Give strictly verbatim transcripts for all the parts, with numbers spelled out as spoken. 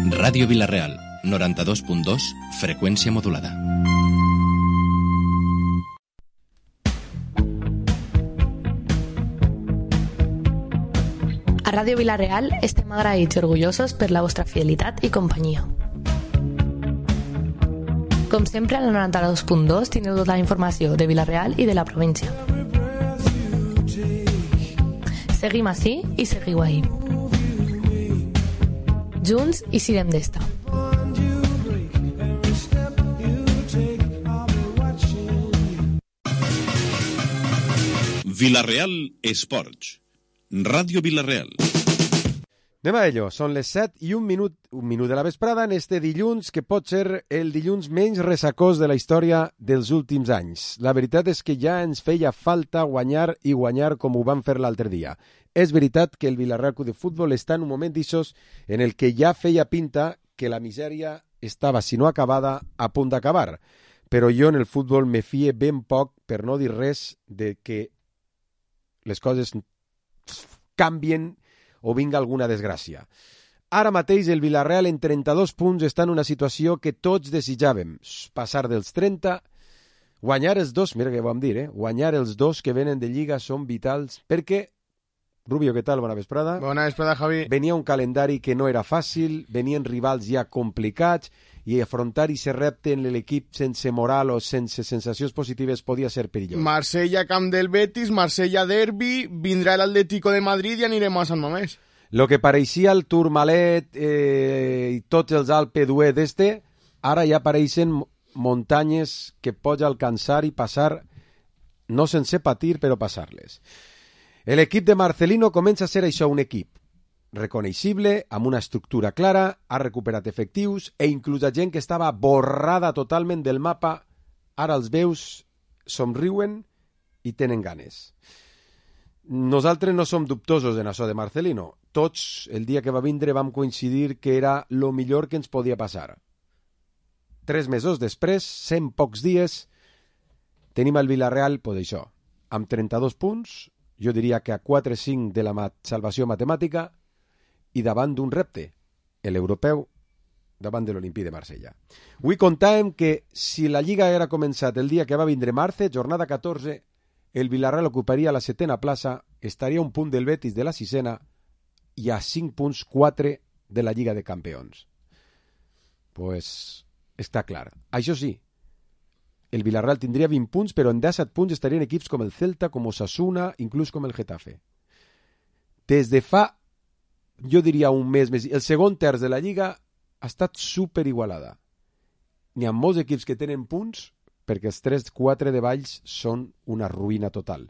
Ràdio Vila-real, noranta-dos punt dos, freqüència modulada. A Ràdio Vila-real estem agraïts i orgullosos per la vostra fidelitat i companyia. Com sempre, al noranta-dos punt dos teniu tota la informació de Vila-real i de la província. Seguim ací i seguiu ahí. Junts i sirem d'esta. Vila-real Esports. Ràdio Vila-real. Anem a ello. Són les set i un minut, un minut de la vesprada en este dilluns, que pot ser el dilluns menys ressacós de la història dels últims anys. La veritat és que ja ens feia falta guanyar i guanyar com ho vam fer l'altre dia. És veritat que el Vila-real Club de Futbol està en un moment d'ixos en el que ja feia pinta que la misèria estava, si no acabada, a punt d'acabar. Però jo en el futbol me fie ben poc, per no dir res, de que les coses canvien o vinga alguna desgràcia. Ara mateix el Vila-real en trenta-dos punts està en una situació que tots desitjàvem, passar dels trenta, guanyar els dos, mira què vam dir, eh? guanyar els dos que venen de Lliga són vitals, perquè, Rubio, què tal? Bona vesprada. Bona vesprada, Javi. Venia un calendari que no era fàcil, venien rivals ja complicats, i afrontar i ser repte en l'equip sense moral o sense sensacions positives podia ser perillós. Marsella, camp del Betis, Marsella derbi, vindrà l'Atlético de Madrid i anirem a Sant Mamés. Lo que pareixia el Tourmalet eh, i tots els Alpe d'Hué d'este, ara ja apareixen muntanyes que pots alcançar i passar, no sense patir, però passar-les. L'equip de Marcelino comença a ser això, un equip reconeixible, amb una estructura clara, ha recuperat efectius e inclús a gent que estava borrada totalment del mapa, ara els veus, somriuen i tenen ganes. Nosaltres no som dubtosos en això de Marcelino. Tots, el dia que va vindre, vam coincidir que era lo millor que ens podia passar. Tres mesos després, cent pocs dies, tenim el Vila-real, pues això, amb trenta-dos punts, jo diria que a quatre cinc de la mat- salvació matemàtica, i davant d'un repte, l'europeu, davant de l'Olimpí de Marsella. Avui contàvem que si la Lliga era començat el dia que va vindre Marce, jornada catorze, el Vila-real ocuparia la setena plaça, estaria a un punt del Betis de la sisena i a cinc punts quatre de la Lliga de Campions. Pues està clar. Això sí, el Vila-real tindria vint punts, però en disset punts estarien equips com el Celta, com Osasuna, inclús com el Getafe. Des de fa jo diria un mes més. El segon terç de la Lliga ha estat superigualada. N'hi ha molts equips que tenen punts perquè els tres quatre de Valls són una ruïna total.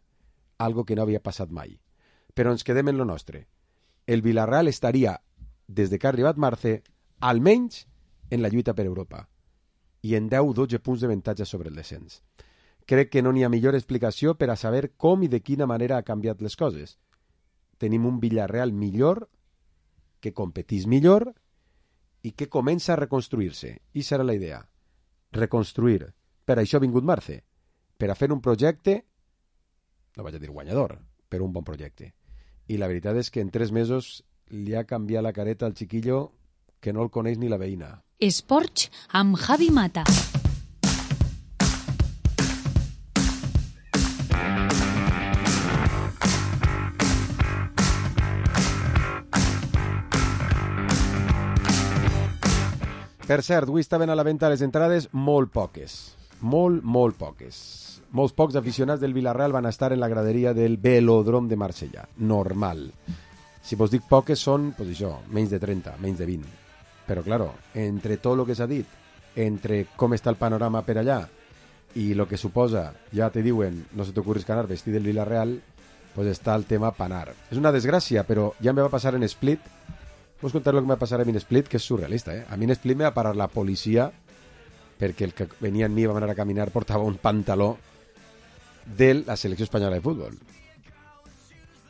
Algo que no havia passat mai. Però ens quedem en lo nostre. El Vila-real estaria, des de que ha arribat Marce, almenys en la lluita per Europa. I en deu dotze punts d'avantatge sobre el descens. Crec que no n'hi ha millor explicació per a saber com i de quina manera ha canviat les coses. Tenim un Vila-real millor, que competís millor i que comença a reconstruir-se. I serà la idea. Reconstruir. Per això ha vingut Marce. Per a fer un projecte, no vaig a dir guanyador, però un bon projecte. I la veritat és que en tres mesos li ha canviat la careta al chiquillo que no el coneix ni la veïna. Esports amb Javi Mata. Per cert, avui estaven a la venda les entrades molt poques. Molt, molt poques. Molts pocs aficionats del Vila-real van estar en la graderia del Velòdrom de Marsella. Normal. Si vos dic poques són, pues això, menys de trenta, menys de vint. Però, claro, entre tot el que s'ha dit, entre com està el panorama per allà i el que suposa, ja te diuen, no se t'ocorris canar vestit del Vila-real, pues està el tema panar. És una desgràcia, però ja em va passar en Split. Vos contar el que me va passar a mi en Split, que és surrealista, eh? A mi en Split me va parar la policia perquè el que venia en mi va anar a caminar portava un pantaló de la selecció espanyola de futbol.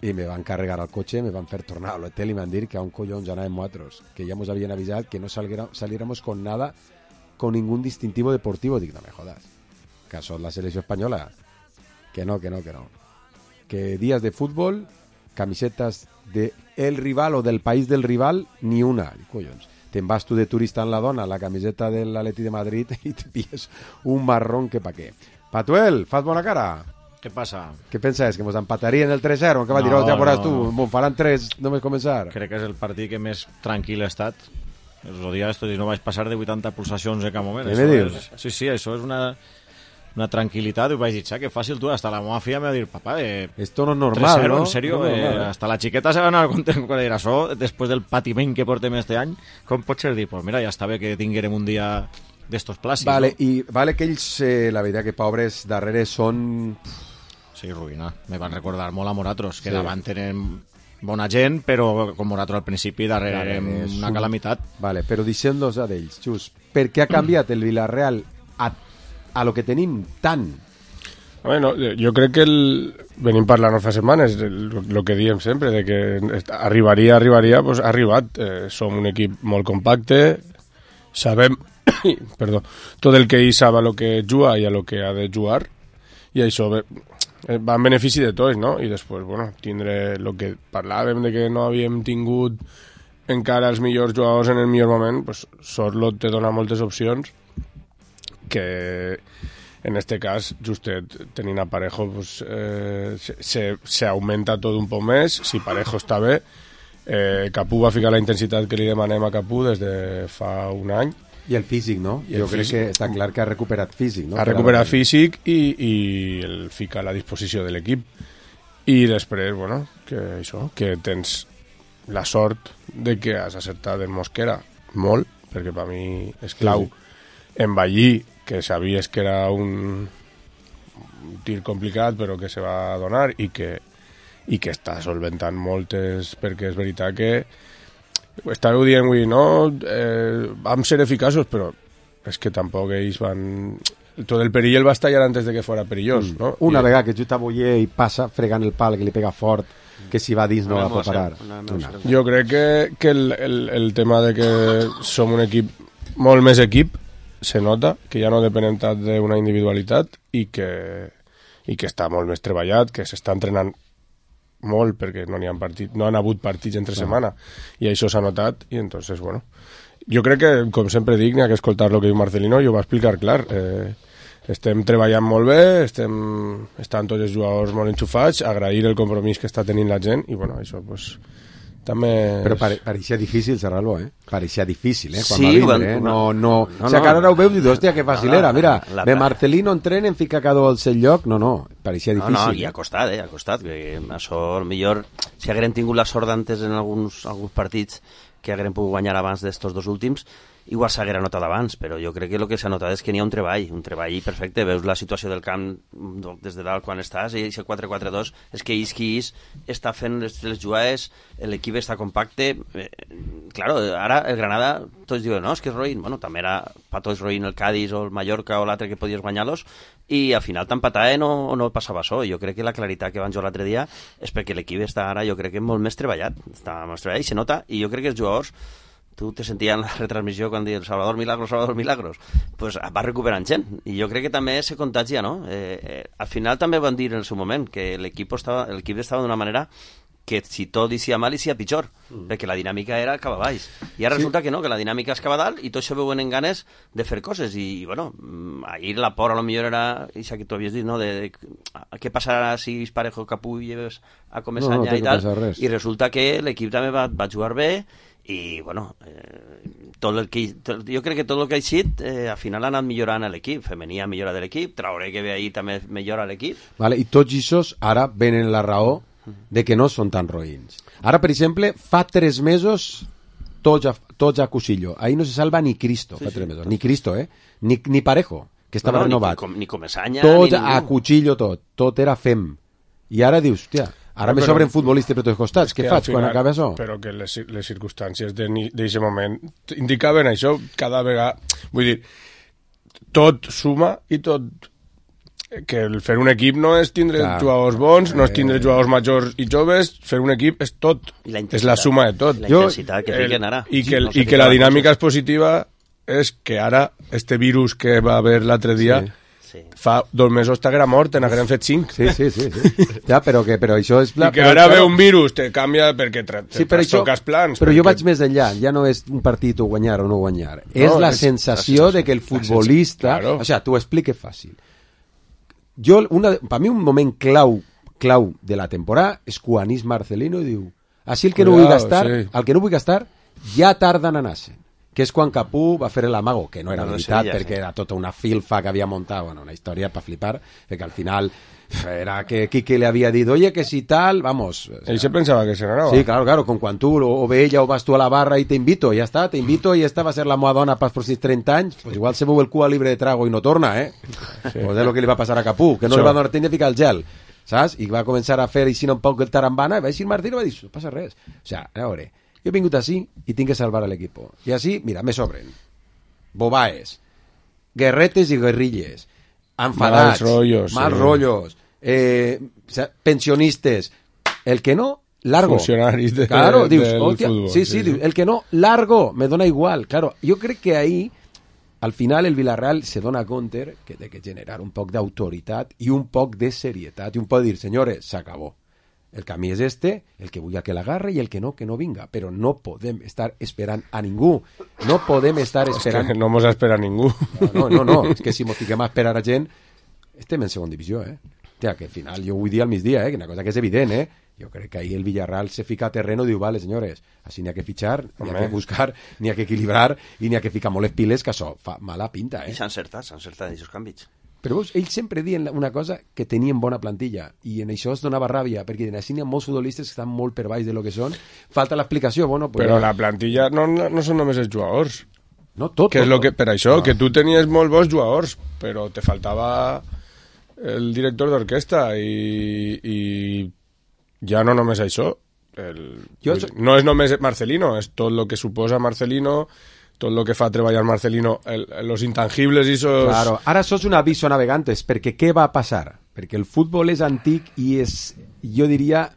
I me van carregar al cotxe, me van fer tornar a l'hotel i me van dir que a un collons anàvem nosaltres, que ja ens havien avisat que no saliéramos con nada, con ningún distintivo deportivo. Dic, no me jodas, que això és la selecció espanyola. Que no, que no, que no. Que días de fútbol, camisetas de el rival o del país del rival, ni una. Collons. Te'n vas tu de turista en la dona, la camiseta de l'Atleti de Madrid i te pilles un marrón que pa què. Patuel, fas bona cara? Què passa? Què penses? Que mos empatarien el tres zero? Que va dir, oh, ja veuràs tu, no. Me'n faran tres només començar. Crec que és el partit que més tranquil he estat. Els dies estos no vaig passar de vuitanta pulsacions en cap moment. Què me dius? És, sí, sí, això és una, una tranquil·litat. I vaig dir, xa, que fàcil tu. Hasta la meva filla me va dir, papá, eh, esto no es normal, ¿no? En serio, no no, eh, no, hasta la xiqueta se va anar content quan era això, després del patiment que portem este any. Com pots ser dir? Pues mira, ja està bé que tinguérem un dia d'estos plàcids. Vale, no? i vale que ells, eh, la veritat que pobres darrere són... Sí, ruïna. Me van recordar molt a Moratros, que sí. davant tenen bona gent, però com Moratros al principi, darrere vale, érem una calamitat. Vale, però deixem-los a d'ells, Xus. Per què ha canviat el Villarreal a, a lo que tenim tant? Bueno, jo crec que el... venim parlant fa setmanes, el, el que diem sempre, de que arribaria, arribaria, pues ha arribat. Eh, som un equip molt compacte, sabem perdó, tot el que ell sap a lo que juga i a lo que ha de jugar, i això va en benefici de tots, no? I després, bueno, tindre el que parlàvem de que no havíem tingut encara els millors jugadors en el millor moment, pues Sorloth te dona moltes opcions que en este cas, justet tenint a Parejo, pues, eh, se, se augmenta tot un poc més. Si Parejo està bé, eh, Capú va ficar la intensitat que li demanem a Capú des de fa un any. I el físic, no? I el jo crec físic. que està clar que ha recuperat físic, no? Ha recuperat físic i, i el fica a la disposició de l'equip. I després, bueno, que això, que tens la sort de que has acertat en Mosquera molt, perquè per mi és clau. Sí. En Ballí, que sabies que era un, un tir complicat, però que se va donar i que, i que està solventant moltes, perquè és veritat que estàveu dient avui, no, eh, vam ser eficaços, però és que tampoc ells van... Tot el perill el va estallar antes de que fora perillós, mm. no? Una I... vegada que Juta Boyer i passa fregant el pal, que li pega fort, que si va dins no, no va a parar. Una, no, una. Jo crec que, que el, el, el tema de que som un equip, molt més equip, se nota, que ja no depenem tant d'una individualitat i que, i que està molt més treballat, que s'està entrenant molt perquè no n'hi ha partit, no han hagut partits entre no. setmana i això s'ha notat i entonces, bueno, jo crec que, com sempre dic, n'hi ha que escoltar el que diu Marcelino, jo ho va explicar clar, eh, estem treballant molt bé, estem, estan tots els jugadors molt enxufats, agrair el compromís que està tenint la gent i bueno, això pues també... Però pare, pareixia difícil xerrar-lo, eh? Pareixia difícil, eh? Quan sí, va vindre, quan, eh? No, no... no, o sigui, que ara ho veus i dius, hòstia, que fàcil era. Mira, la, la, de Marcelino entrenen, fica cada un al seu lloc. No, no, pareixia difícil. No, no, i ha costat, eh? Ha costat. Que això, millor, si haguem tingut la sort d'antes en alguns, alguns partits que haguem pogut guanyar abans d'estos dos últims, igual s'haguera notat abans, però jo crec que el que s'ha notat és que n'hi ha un treball, un treball perfecte. Veus la situació del camp des de dalt quan estàs, i aquest quatre quatre dos, és que és qui és, està fent les, les jugades, l'equip està compacte. Eh, claro, ara el Granada, tots diuen, no, és que és roïn. Bueno, també era pa tots roïn el Cádiz o el Mallorca o l'altre que podies guanyar-los, i al final t'empataven o, o no passava això. Jo crec que la claritat que van jugar l'altre dia és perquè l'equip està ara, jo crec que molt més treballat, està més treballat i se nota, i jo crec que els jugadors, tu te sentia en la retransmissió quan diuen Salvador Milagros, Salvador Milagros, pues va recuperant gent, i jo crec que també se contagia, no? Eh, eh, al final també van dir en el seu moment que l'equip estava, l'equip estava d'una manera que si tot isia mal, isia pitjor, mm. perquè la dinàmica era cap a baix. I ara sí. Resulta que no, que la dinàmica és cap a dalt i tot això veuen en ganes de fer coses. I, i bueno, ahir la por a lo millor era, això que tu havies dit, no?, de, de què passarà si Parejo Capú lleves a començar no, no, i tal, i resulta que l'equip també va, va jugar bé, i bueno, eh, tot el que, tot, jo crec que tot el que ha eixit eh, al final ha anat millorant l'equip. Femení ha millorat l'equip, Traoré que ve ahir també millora l'equip, vale, i tots aquests ara venen la raó de que no són tan roïns. Ara, per exemple, fa tres mesos tots a, tots a Cusillo, ahí no se salva ni Cristo, sí, fa tres sí, mesos, ni Cristo, eh? ni, ni Parejo, que estava no, no, renovat, ni, ni Comesaña, tots ni a Cuchillo, tot, tot era fem, i ara dius, hòstia, ara me sobren futbolistes per tots costats. Què faig quan acaba això? Però que les, les circumstàncies d'aquest moment indicaven això cada vegada. Vull dir, tot suma i tot... Que el fer un equip no és tindre Clar. jugadors bons, no és tindre jugadors majors i joves, fer un equip és tot. És la suma de tot. La intensitat que fiquen ara. I que, el, sí, no i que la dinàmica és positiva és que ara este virus que va haver l'altre dia... Sí. Sí. Fa dos mesos t'haguera mort, te n'hagueren fet cinc. Sí, sí, sí. sí. Ja, però, que, però això és... I que ara ve un virus, te canvia perquè te, te sí, però això, toques plans. Però perquè... jo vaig més enllà, ja no és un partit o guanyar o no guanyar. No, és la és, sensació la de que el futbolista... Claro. O sea, t'ho explique fàcil. Jo, una, per mi un moment clau, clau de la temporada és quan és Marcelino i diu, així el que Cuidado, no vull gastar, sí. el que no vull gastar, ja tarden a anar-se'n. Que és quan Capú va fer l'amago, que no era no veritat, seria, perquè sí. era tota una filfa que havia muntat, bueno, una història per flipar, perquè al final era que Quique le havia dit, oye, que si tal, vamos... O sea, ell se pensava que se n'anava. Sí, claro, claro, con quan tu o, o ve ella o vas tu a la barra i te invito, ja està, te invito i esta va ser la moda dona pas per sis trenta anys, pues igual se veu el cua libre de trago i no torna, eh? Sí. Pues és el que li va passar a Capú, que no sí. li va donar temps de ficar el gel, saps? I va començar a fer així un poc el tarambana, i va dir Martí, no va dir, no passa res. O sea, a veure, jo he vingut així i tinc que salvar a l'equip. I així, mira, me sobren bobaes, guerretes i guerrilles, enfadats, mals rollos, mals sí. rollos eh, pensionistes, el que no, largo. Funcionaris de, claro, dius, del hostia, fútbol. Sí, sí, sí, dius, el que no, largo, me dona igual. Claro, jo crec que ahí, al final, el Villarreal se dona compte que té que generar un poc d'autoritat i un poc de serietat i un poc de dir, senyores, s'acabó. El camí és este, el que vull que l'agarre i el que no, que no vinga. Però no podem estar esperant a ningú. No podem estar esperant... És que no mos espera ningú. No, no, no. És que si mos fiquem a esperar a gent, estem en segona divisió, eh? Hòstia, que al final jo vull dir al migdia, eh? Que una cosa que és evident, eh? Jo crec que ahí el Villarreal se fica a terreno i diu, vale, senyores, així n'hi ha que fitxar, n'hi ha que buscar, n'hi ha que equilibrar i n'hi ha que ficar molt les piles, que això fa mala pinta, eh? I s'han encertat, s'han encertat aquests canvis. Però veus, ells sempre diuen una cosa, que tenien bona plantilla, i en això es donava ràbia, perquè en així n'hi ha molts futbolistes que estan molt per baix de lo que són. Falta l'explicació, bueno... Pues però ja... la plantilla no, no, no són només els jugadors. No, tot. Que tot, és lo que, per això, no. que tu tenies molt bons jugadors, però te faltava el director d'orquestra i, i ja no només això. El, jo... No és només Marcelino, és tot el que suposa Marcelino... tot el que fa treballar Marcelino, el, los intangibles i esos... Claro, ara sos un aviso a navegantes, perquè què va passar? Perquè el futbol és antic i és, jo diria,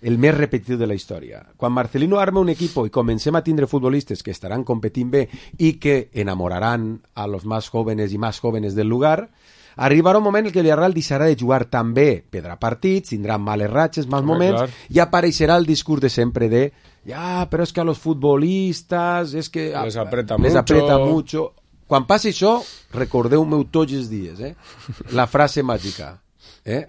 el més repetitiu de la història. Quan Marcelino arma un equip i comencem a tindre futbolistes que estaran competint bé i que enamoraran a los más jóvenes i más jóvenes del lugar, arribarà un moment en què el Villarreal deixarà de jugar tan bé, perdrà partits, tindrà males ratxes, mals moments, clar. I apareixerà el discurs de sempre de ja, però és que a los futbolistas és que les apreta les mucho. apreta mucho. Quan passi això, recordeu-me tots els dies, eh? La frase màgica, eh?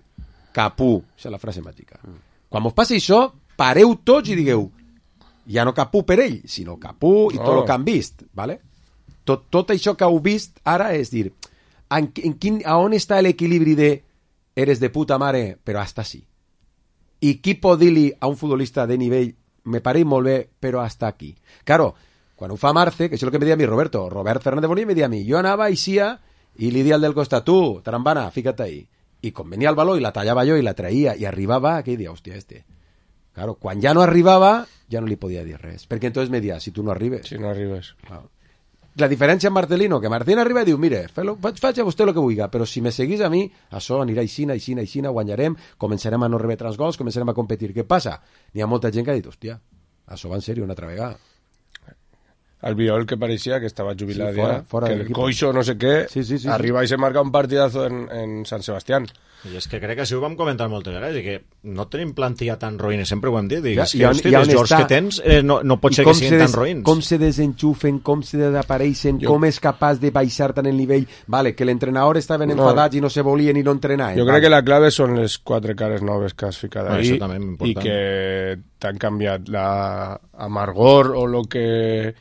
Capú, això és la frase màgica. Quan vos passi això, pareu tots i digueu, ja no Capú per ell, sinó Capú i no. tot el que han vist, ¿vale? Tot, tot això que heu vist ara és dir, en, en quin, a on està l'equilibri de eres de puta mare, però hasta sí? I qui pot dir-li a un futbolista de nivell me pareix molt bé, però hasta aquí? Claro, quan ho fa Marce, que això és el que me deia a mi Roberto, Robert Fernández Bonilla me deia a mi, jo anava a Ixia i li dia al del costat, tu, tarambana, fíjate ahí. I com venia el baló i la tallava jo i la traïa i arribava, aquell dia, hòstia, este. Claro, quan ja no arribava, ja no li podia dir res, perquè entonces me dia, si tu no arribes... Si no arribes. Claro. La diferència amb Marcelino, que Marcelino arriba i diu, mire, faig, faig a vostè el que vulgui, però si me seguís a mi, això anirà aixina, aixina, aixina, guanyarem, començarem a no rebre els gols, començarem a competir. Què passa? N'hi ha molta gent que ha dit, hòstia, això va en sèrio una altra vegada. Albiol, que parecía que estaba jubilado sí, fuera, ya, fuera que del el equipo. Coixo no sé qué, sí, sí, sí, arriba sí. y se marca un partidazo en, en San Sebastián. I és que crec que això ho vam comentar moltes vegades, i que no tenim plantilla tan roïna, sempre ho hem dit, i ja, és que, hosti, els jocs que tens eh, no, no pot ser que siguin des, tan roïns. Com se desenxufen, com se desapareixen, jo... com és capaç de baixar tant el nivell, vale, que l'entrenador estaven no. enfadats i no se volien i no entrenaven. Jo crec vale. que la clave són les quatre cares noves que has ficat ahí no, i que t'han canviat la amargor o lo que...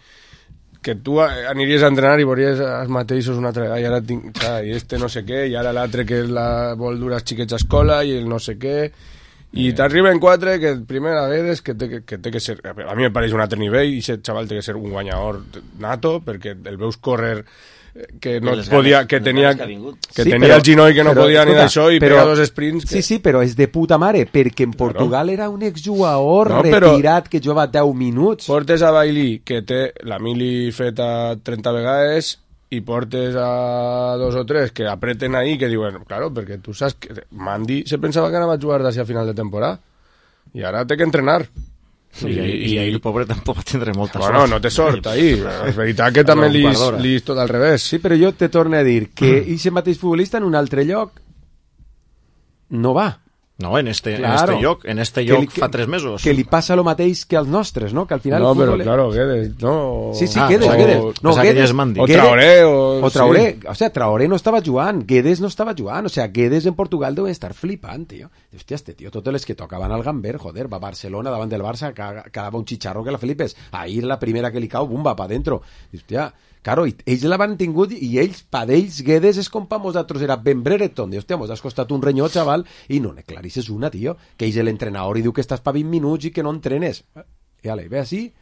que tu aniries a entrenar i veuries els mateixos una altra vegada i ara tinc, i este no sé què i ara l'altre que la vol dur els xiquets a escola i el no sé què i eh. t'arriben quatre que el primer a vegades que té que, que té que ser, a mi me pareix un altre nivell i aquest xaval té que ser un guanyador nato perquè el veus córrer que no podia, que tenia que, que sí, tenia però, el ginoll que no però, podia escolta, ni d'això i però, pega dos sprints que... sí, sí, però és de puta mare perquè en Portugal claro. Era un exjugador no, retirat que jugava deu minuts. Portes a Bailey que té la mili feta trenta vegades i portes a dos o tres que apreten ahí que diuen, claro, perquè tu saps que Mandy se pensava que anava a jugar d'ací a final de temporada i ara té que entrenar I, i, i ell, pobre, tampoc va tindre molta bueno, sort. no té sort, ahí. És veritat que també li és tot al revés. Sí, però jo te torno a dir que aquest mateix futbolista en un altre lloc no va. No, en este, Claro. en este lloc, en este Que lloc li- que- fa tres mesos. Que li passa el mateix que als nostres, no? Que al final No, el però futbol... claro, Guedes, no... Sí, sí, Ah, Guedes, o- Guedes. No, pensava que Guedes, ja és Mandi. O Guedes- Traoré, o... O Traoré, o sea, Traoré no estava jugant, Guedes no estava jugant, o sea, Guedes en Portugal deu estar flipant, tio. Hòstia, este tio, totes les que tocaven al Gamber, joder, va a Barcelona davant del Barça, ca- quedava un xicharro que la flipes. Ahir la primera que li cau, bum, va pa dentro. Hòstia, claro, i ells la van tingut i ells, pa d'ells, Guedes és com pa nosaltres, era Ben Brereton. Diu, hòstia, mos has costat un renyó, xaval, i no n'eclarisses una, tio. Que ells l'entrenador i diu que estàs pa vint minuts i que no entrenes. I ale, ve així,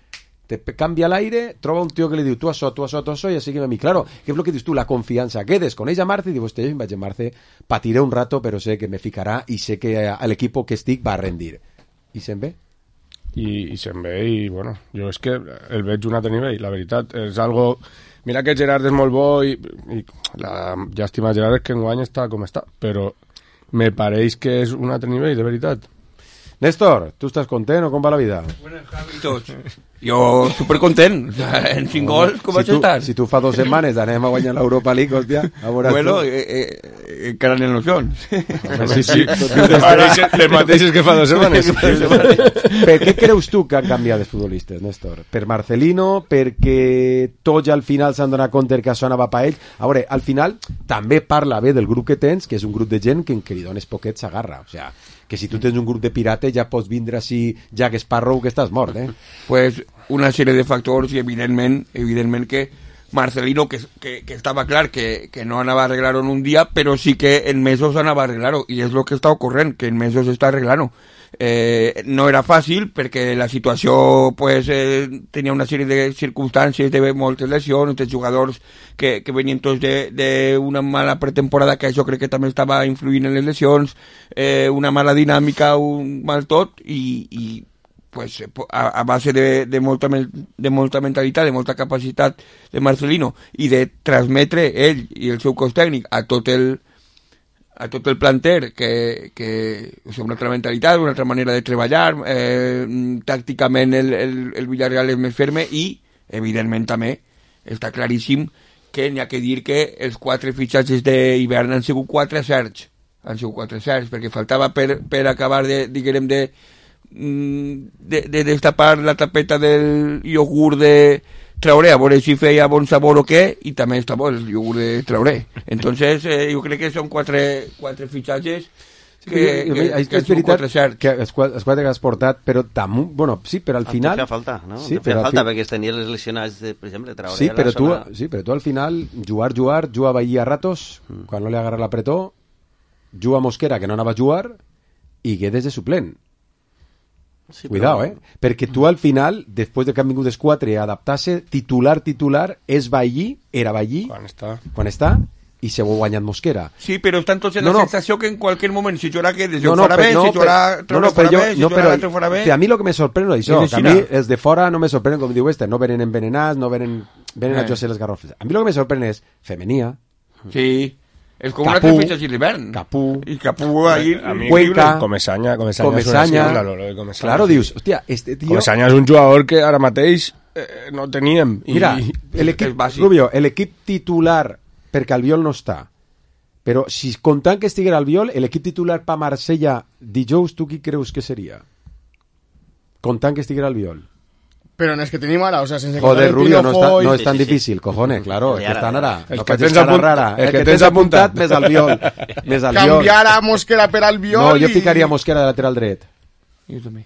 te pe- canvia l'aire, troba un tio que li diu tu això, tu això, tu això, i així que a mi. Claro, que és el que dius tu, la confiança. Guedes coneix a Marce i diu, hòstia, jo em vaig a Marce, patiré un rato, però sé que me ficarà i sé que l'equip que estic va a rendir. I se'n ve? I, i se'n ve i, bueno, jo és que el veig un altre nivell, la veritat. És algo... Mira que Gerard és molt bo i, i la llàstima de Gerard és que enguany està com està, però me pareix que és un altre nivell, de veritat. Néstor, tu estàs content o com va la vida? Buenas, Javi, tots. Jo supercontent. En cinc gols, com si vaig tu, estar? Si tu fa dues setmanes anem a guanyar l'Europa League, hòstia, a veure Bueno, tu. eh, eh, encara en il·lusions. Home, sí, sí. Les mateixes que fa dues setmanes. Per què creus tu que han canviat els futbolistes, Néstor? Per Marcelino? Perquè tots al final s'han donat compte que això anava pa ells? A veure, al final també parla bé del grup que tens, que és un grup de gent que en que li dones poquet s'agarra. O sea, que si tu tens un grup de pirates ja pots vindre així Jack Sparrow que estàs mort, eh? Pues una sèrie de factors i evidentment, evidentment que Marcelino, que, que, que estava clar que, que no anava a arreglar-ho en un dia, però sí que en mesos anava a arreglar-ho, i és el que està ocorrent, que en mesos està arreglant-ho. Eh, no era fàcil perquè la situació pues, eh, tenia una sèrie de circumstàncies de moltes lesions, de jugadors que, que venien tots d'una mala pretemporada, que això crec que també estava influint en les lesions, eh, una mala dinàmica, un mal tot, i, i pues, a, a base de, de, molta, de molta mentalitat, de molta capacitat de Marcelino i de transmetre ell i el seu cos tècnic a tot el a tot el planter que, que o sigui, una altra mentalitat, una altra manera de treballar, eh, tàcticament el, el, el Villarreal és més ferme i, evidentment també, està claríssim que n'hi ha que dir que els quatre fitxatges d'hivern han sigut quatre certs, han sigut quatre certs, perquè faltava per, per acabar de, diguem, de de, de destapar la tapeta del iogurt de Traoré, a veure si feia bon sabor o què, i també està bo el iogurt de Traoré. Entonces, eh, jo crec que són quatre, quatre fitxatges que, que, que, és, que és veritat quatre que els quatre, els quatre que has portat, però damunt, bueno, sí, però al final... Feia falta, no? Sí, feia al falta, fi... perquè tenies les lesionats, de, per exemple, Traoré. Sí, però tu, zona... sí, però tu al final, jugar, jugar, jugar Bahía a ratos, mm. quan no li agarra l'apretó, juga Mosquera, que no anava a jugar, i Guedes de suplent. Sí, cuidado, però... eh? Perquè tu al final, després de que han vingut els quatre a adaptar-se, titular, titular, és Bahí, era Bahí, quan està, quan està i se ho ha guanyat Mosquera. Sí, però estan tots en no, la no. sensació que en qualser moment, si jugarà Guedes, no, jo no, farà per, bé, no, si jugarà no, Traoré no, farà jo, bé, si no, jugarà però, l'altre farà bé. a mi el que me sorprèn és això, És que a mi els de fora no me sorprenen, com diu este, no venen envenenats, no venen, venen eh. a José les garrofes. A mi el que me sorprèn és femenia. Sí. És com Capú, una altra fitxa d'hivern. Capú. I Capú ahí... Cuenca. Comesaña. Comesaña, Comesaña. Una, claro, Comesaña. Claro, dius, hòstia, este tío... Comesaña és un jugador que ara mateix eh, no teníem. I... Mira, l'equip, Rubio, l'equip titular, perquè Albiol no està, però si comptant que estiguera Albiol, l'equip titular pa Marsella dijous, tu qui creus que seria? Comptant que estiguera Albiol. Pero no es que tenim ara, o sea, sense Joder, Rubio, no, está, no y... és tan sí, sí, difícil, sí. Cojones, claro, es que estan ara. El no que tens apunt... rara. El, el que, que tens apuntat, apuntat més Albiol. Més Albiol. Canviar a Mosquera per Albiol. No, jo i... ficaria Mosquera de lateral dret. Jo també.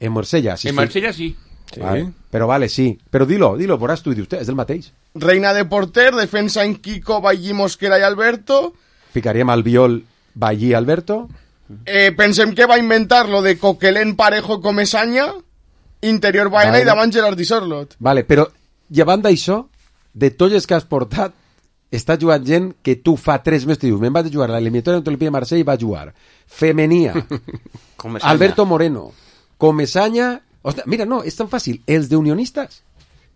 En Marsella, sí. En Marsella sí. sí. Vale. Però vale, sí. Però dilo, dilo, veuràs tu, i dius, és el mateix. Reina de porter, defensa en Kiko, Ballí, Mosquera i Alberto. Ficaríem Albiol, Ballí, Alberto. Eh, pensem que va inventar lo de Coquelén, Parejo, Comesaña, interior Baena vale. I davant Gerard i Sorlot. Vale, però llevant d'això, de tots els que has portat, està jugant gent que tu fa tres mesos dius, me'n vaig a jugar a l'eliminatòria contra el P de Marsella i va jugar. Femenia, Alberto Moreno, Comesaña... Ostres, mira, no, és tan fàcil. Els de Unionistas.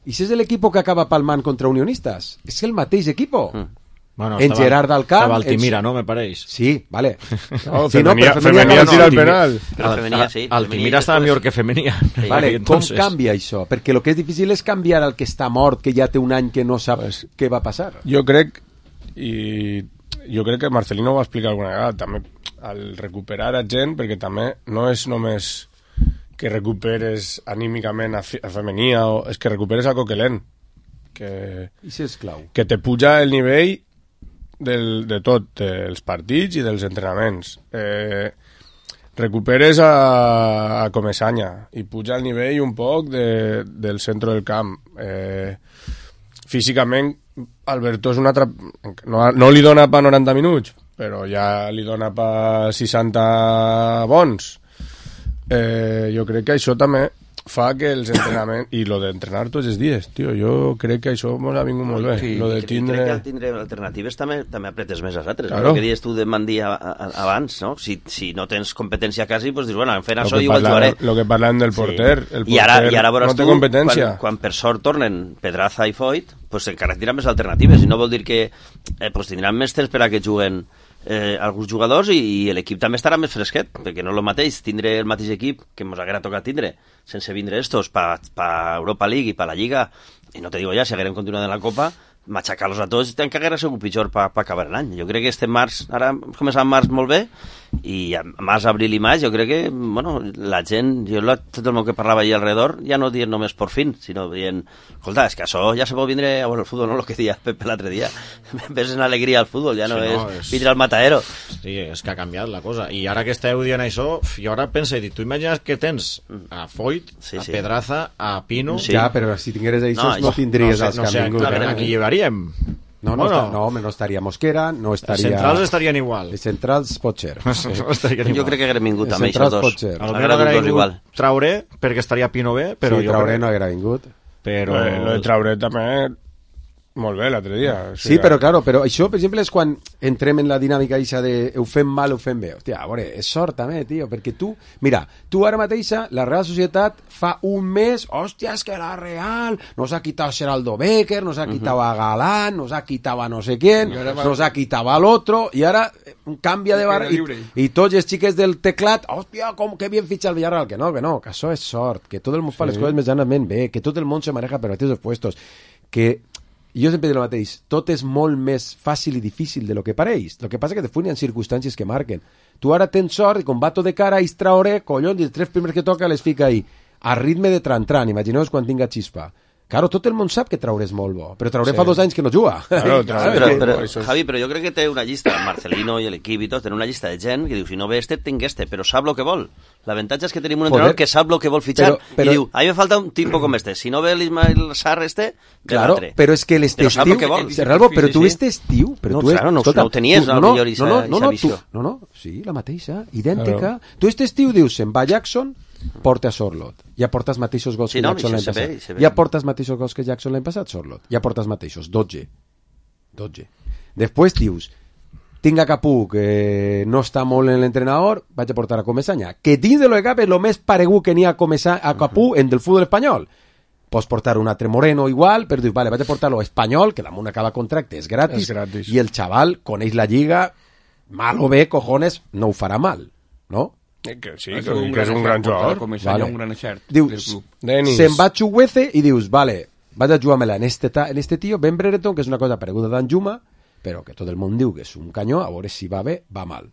I si és l'equip que acaba palmant contra Unionistas, és el mateix equip. Mm. Bueno, en estava, Gerard del Camp... Estava Altimira, en... no, me pareix? Sí, vale. No, sí, no, Femenia, però Femenia no, tira el sí. penal. Però Femenia, sí. Altimira estava millor que Femenia. Vale, Entonces... com canvia això? Perquè el que és difícil és canviar el que està mort, que ja té un any que no sap pues, què va passar. Jo crec, i jo crec que Marcelino ho va explicar alguna vegada, també al recuperar a gent, perquè també no és només que recuperes anímicament a, a Femenia, o, és que recuperes a Coquelin, que, Això és clau. que te puja el nivell del, de tot, dels partits i dels entrenaments. Eh, recuperes a, a Comesaña i puja el nivell un poc de, del centre del camp. Eh, físicament, Alberto és un altre... No, no li dona pa noranta minuts, però ja li dona pa seixanta bons. Eh, jo crec que això també fa que els entrenaments... I lo d'entrenar tots els dies, tio, jo crec que això m'ha vingut molt bé. Sí, lo de tindre... crec que al tindre alternatives també, també apretes més als altres. Claro. No? El que dius tu de Mandí a, a, abans, no? Si, si no tens competència quasi, doncs dius, bueno, en fent Lo això que igual parla- jugaré. Lo que parlem del porter. Sí. El porter I ara, i ara veuràs no té tu, competència. quan, quan per sort tornen Pedraza i Foyt, pues encara tindran més alternatives, i no vol dir que eh, pues tindran més temps per a que juguen eh, alguns jugadors i, i l'equip també estarà més fresquet, perquè no és el mateix tindre el mateix equip que ens haguera tocat tindre sense vindre estos pa, pa Europa League i pa la Lliga, i no te digo ja, si haguérem continuat en la Copa, matxacar-los a tots encara haguera sigut pitjor pa, pa acabar l'any. Jo crec que este març, ara començat març molt bé, i a març, abril i maig jo crec que, bueno, la gent, jo la, tot el món que parlava allà alrededor, ja no dient només por fin, sinó dient, escolta, és que això ja se pot vindre a veure el futbol, no? El que deia Pepe l'altre dia, ves en alegria al futbol, ja no, sí, no és, és vindre al matadero. Sí, és que ha canviat la cosa, i ara que esteu dient això, jo ara penso, tu imagines que tens a Foyt, sí, a sí. Pedraza, a Pino... Sí. Ja, però si tingueres això no, no tindries no sé, els no que sé, han vingut. clar, eh? aquí llevaríem. No, no, Bueno. està, no, home, no estaria Mosquera, no estaria... Els centrals estarien igual. Els centrals pot ser. Sí. Estarien Jo igual. crec que haguem vingut Els també això centrals dos. pot ser. A lo Haguera millor dut haguera dos igual. vingut Traoré, perquè estaria Pino bé, però sí, jo Traoré crec... no haguera vingut. Però... Lo de, lo de Traoré també molt bé l'altre dia. O Sí, però, claro, però això, per exemple, és quan entrem en la dinàmica eixa de ho fem mal, ho fem bé. Hòstia, a veure, és sort també, tio, perquè tu... Mira, tu ara mateixa, la Real Societat fa un mes, hòstia, és que la Real nos ha quitado a Geraldo Becker, nos ha quitado a Galán, nos ha quitado a no sé quién, nos ha quitado al otro, i ara canvia de barra... I, i tots els xiques del teclat, hòstia, com que bien fitxa el Villarreal, que no, que no, que això és sort, que tot el món fa les coses medianament bé, que tot el món se maneja per mateixos puestos, que... Jo sempre dic el mateix, tot és molt més fàcil i difícil de lo que pareix. El que passa que després hi ha circumstàncies que marquen. Tu ara tens sort i com va tot de cara a Traoré, collons, i els tres primers que toca les fica ahí, a ritme de tran-tran, imagineu-vos quan tinga xispa. Claro, tot el món sap que Traoré és molt bo, però Traoré sí. fa dos anys que no juga. Claro, Traoré, però, però, però, Javi, però jo crec que té una llista, Marcelino i l'equip i tot, tenen una llista de gent que diu, si no ve este, tinc este, però sap el que vol. L'avantatge és que tenim un entrenador que sap el que vol fitxar però, però, i diu, a mi me falta un tipo com este, si no ve l'Ismael Sarr este, ve claro, l'altre. Però és que l'estiu... Serralbo, però tu este estiu... Però no, tu claro, no, escolta, no ho tenies, tu, no, no, millor no, no, no, no, tu, visió. no, no, sí, la mateixa, idèntica. Claro. Tu este estiu dius, se'n va Jackson, porta Sorlot. Ja porta els mateixos gols sí, que no, Jackson l'any ve, passat. Ja porta els mateixos gols que Jackson l'any passat, Sorlot. Ja porta els mateixos, dotze. dotze. Després dius, tinc a Capú, que no està molt en l'entrenador, vaig a portar a Comesaña. Que dins de lo de cap és el més paregut que n'hi ha a, a Capú en del futbol espanyol. Pots portar un altre Moreno igual, però dius, vale, vaig a portar lo espanyol, que damunt acaba contracte, és gratis, és gratis, i el xaval coneix la lliga, mal o bé, cojones, no ho farà mal, no? Que sí, que, que és un gran jugador. Vale. Un gran excert dius, se'n va Chuguece i dius, vale, vaig a jugar-me-la en este, en este tio, Ben Brereton, que és una cosa pareguda d'en Juma, però que tot el món diu que és un canyó, a veure si va bé, va mal.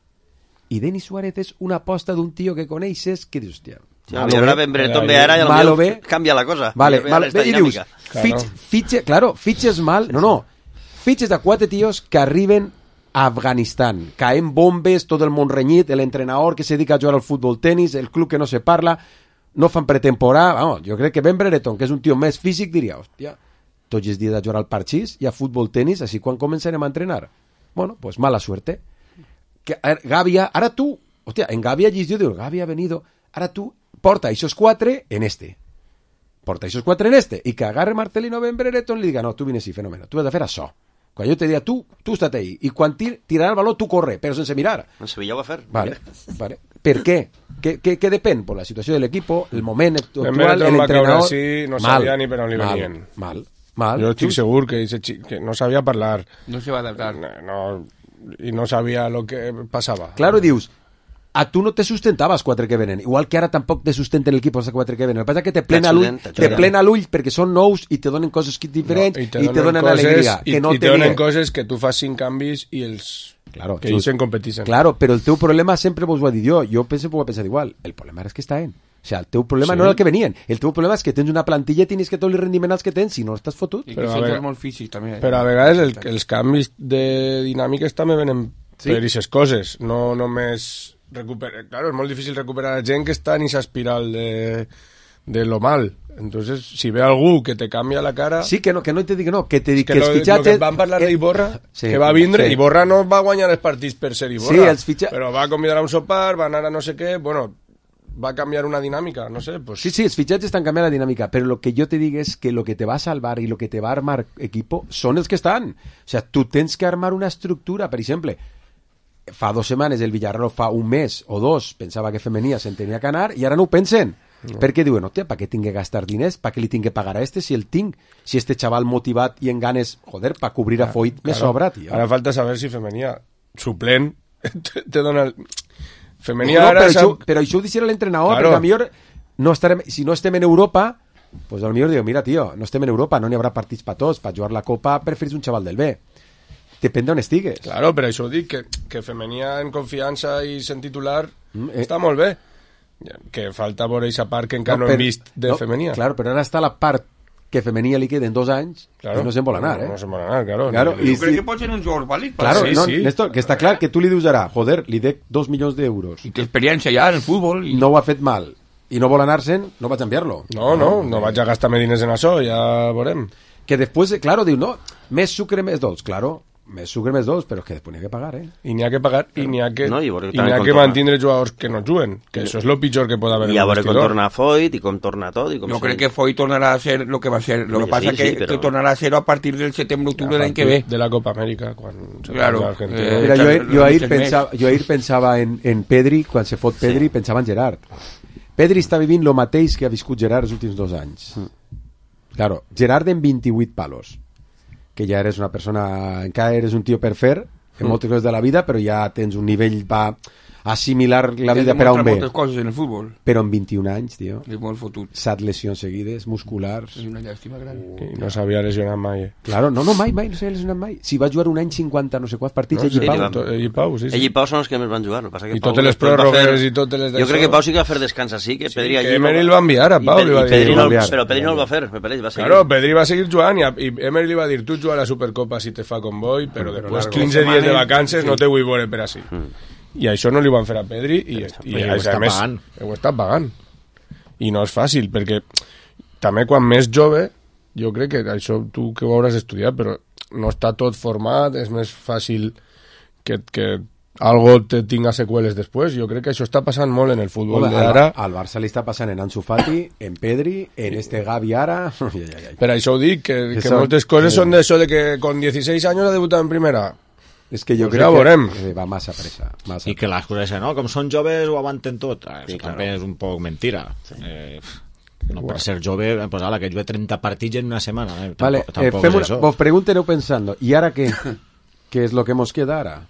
I Denis Suárez és una aposta d'un tio que coneixes que dius, hòstia, sí, a veure, Ben Brereton ve ara i potser canvia la cosa. Vale, vale, i dius, fitx, fitxe, claro, fitxes mal, no, no, fitxes de quatre tios que arriben a Afganistán, caen bombes, tot el món renyit, l'entrenador que se dedica a jugar al futbol tenis, el club que no se parla, no fan pretemporada, vamos, jo crec que Ben Brereton, que és un tio més físic, diria, hòstia, tots els dies a jugar al parxís i a futbol tenis, així quan començarem a entrenar? Bueno, pues mala suerte. Que, Gavia, ara tu, hòstia, en Gavia llistió, diu, Gavia ha venido, ara tu porta esos quatre en este. Porta esos quatre en este. I que agarre Marcelino Ben Brereton i li diga, no, tu vines i fenómeno, tu has de fer això. Quan jo te diria, tu, tu estate ahí. I quan tir, tirarà el baló, tu corre, però sense mirar. En Sevilla ho va fer. Vale, vale. Per què? Què, què, què depèn? Por la situació de l'equip, el moment actual, l'entrenador... l'entrenador... Sí, no sabia ni per on li venien. Mal, Mal, jo estic just. segur que, que no sabia parlar. No se va adaptar. No, i no sabia el que passava. Claro, dius, a tu no te sustentava els quatre que venen, igual que ara tampoc te sustenten l'equip els quatre que venen. El que passa és que te plena l'ull, te plena l'ull perquè són nous i te donen coses diferents no, i te donen, i te donen coses, alegria. I, que no i te donen coses que tu fas cinc canvis i els claro, que ells en competeixen. Claro, però el teu problema sempre vos ho ha dit jo, jo penso que ho he pensat igual. El problema és que està en. O sea, el teu problema sí. no era el que venien. El teu problema és que tens una plantilla i tens que tot el rendiment als que tens, si no estàs fotut. I que són vegades, molt físics, també. Però a vegades el, els canvis de dinàmiques també venen sí. per aquestes coses. No només recuperar... Claro, és molt difícil recuperar a gent que està en aquesta espiral de, de lo mal. Entonces, si ve algú que te canvia la cara... Sí, que no, que no te dic que no, que te dic que, que els lo, fitxatges... Lo que van parlar d'Iborra, sí, que va vindre, sí. Iborra no va guanyar els partits per ser Iborra, sí, els fitxa... però va convidar a un sopar, va anar a no sé què, bueno... va a cambiar una dinámica, no sé. Pues... Sí, sí, els fitxatges estan canviant la dinàmica, però lo que jo te dic és que lo que te va a salvar i lo que te va a armar equipo són els que estan. O sea, tu tens que armar una estructura, per exemple, fa dos setmanes el Villarreal, fa un mes o dos, pensava que Femenia se'n tenia que anar i ara no ho pensen. No. Perquè diuen, hòstia, per què tinc que gastar diners? Per què li tinc que pagar a este si el tinc? Si este xaval motivat i en ganes, joder, per cobrir a Foyt me claro. sobra, tio. Ara falta saber si Femenia suplent te, te dona el... Femenia no, no, ara... però, això, però això ho deixarà l'entrenador, claro. Perquè a millor no estarem, si no estem en Europa, pues a millor diu, mira, tio, no estem en Europa, no n'hi haurà partits per tots, per jugar la Copa preferís un xaval del B. Depèn d'on estigues. Claro, però això ho dic, que, que Femenia en confiança i sent titular mm, eh. està molt bé. Que falta veure aquesta part que encara no, no hem vist de no, Femenia. Claro, però ara està la part que Femenia li queden dos anys claro. I no se'n vol anar, eh? No, no se'n vol anar, claro. claro no, jo crec si... que pot ser un jugador vàlid. Claro, sí, no, sí. Néstor, que està clar que tu li dius ara, joder, li dec dos milions d'euros. I té experiència ja en el futbol. I... No ho ha fet mal. I no vol anar-se'n, no vaig a enviar-lo. No, no, no, no vaig a gastar diners en això, ja veurem. Que després, claro, diu, no, més sucre, més dolç, claro. Més sucre, més dolç, però és que després n'hi ha que pagar, eh? I n'hi ha que pagar i n'hi ha que, no, i i n'hi ha que mantenir jugadors que no juguen, que això és el pitjor que pot haver en el vestidor. I a veure com torna Foyt i com torna tot. I com jo crec que Foyt tornarà a ser lo que va ser. Lo que passa sí, que, sí, però... que tornarà a ser a partir del setembre-octubre l'any que ve. De la Copa Amèrica, quan se claro. Eh, Mira, jo, jo, ahir pensava, jo ahir pensava en, en Pedri, quan se fot Pedri, sí. Pensava en Gerard. Pedri està vivint lo mateix que ha viscut Gerard els últims dos anys. Mm. Claro, Gerard en vint-i-vuit palos. Que ja eres una persona, encara eres un tio per fer en mm. moltes coses de la vida, però ja tens un nivell va assimilar la vida per a un bé. Moltes coses en el futbol. Però en vint-i-un anys, tio. És molt fotut. Set lesions seguides, musculars. És una llàstima gran. Uh, no s'havia lesionat mai. Eh? Claro, no, no, mai, mai, no s'havia lesionat mai. Si va jugar un any cinquanta, no sé quants partits, no, ell i Pau. Ell i Pau, sí, sí. Ell i Pau són els que més van jugar. Passa que I Pau totes les pròrrogues i totes les d'això. Jo crec que Pau sí que va fer descans així, que sí, Pedri allí... Que Emery el va enviar a Pau, li va dir. Pedri no, però Pedri no el va fer, me pareix, va seguir. Claro, Pedri va seguir jugant i Emery li va dir, tu juga a la Supercopa si te fa convoi, però després quinze dies de vacances no te vull veure per així. I això no li van fer a Pedri i, i, i ho està més, pagant. Ho està pagant. I no és fàcil, perquè també quan més jove, jo crec que això tu que ho hauràs estudiat, però no està tot format, és més fàcil que, que algo te tinga seqüeles després. Jo crec que això està passant molt en el futbol d'ara. Al Barça li està passant en Ansu Fati, en Pedri, en este Gavi ara... Per això ho dic, que, que, que moltes coses són d'això de que con dieciséis anys ha debutat en primera. És que jo pues crec ja que va massa pressa. Massa I que les coses, no? Com són joves ho aguanten tot. Sí, Això claro. També és un poc mentira. Sí. Eh, no per Igual. ser jove, pues ala, que jugue trenta partits en una setmana. Eh? Vale, tampoc, tampoc eh, fem és una, això. vos pregunten pensando, ¿y ahora qué? ¿Qué es lo que nos queda ahora?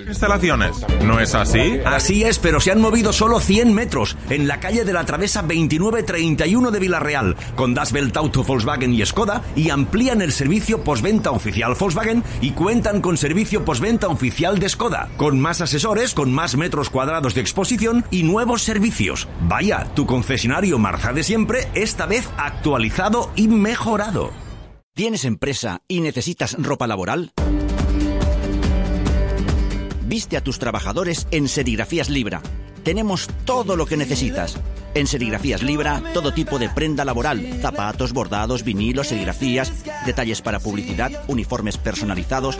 Instalaciones. ¿No es así? Así es, pero se han movido solo cien metros en la calle de la Travesa veintinueve treinta y uno de Villarreal, con Das Welt Auto, Volkswagen y Skoda, y amplían el servicio postventa oficial Volkswagen y cuentan con servicio postventa oficial de Skoda, con más asesores, con más metros cuadrados de exposición y nuevos servicios. Vaya, tu concesionario Marza de siempre, esta vez actualizado y mejorado. ¿Tienes empresa y necesitas ropa laboral? Viste a tus trabajadores en Serigrafías Libra. Tenemos todo lo que necesitas. En Serigrafías Libra, todo tipo de prenda laboral, zapatos, bordados, vinilos, serigrafías, detalles para publicidad, uniformes personalizados.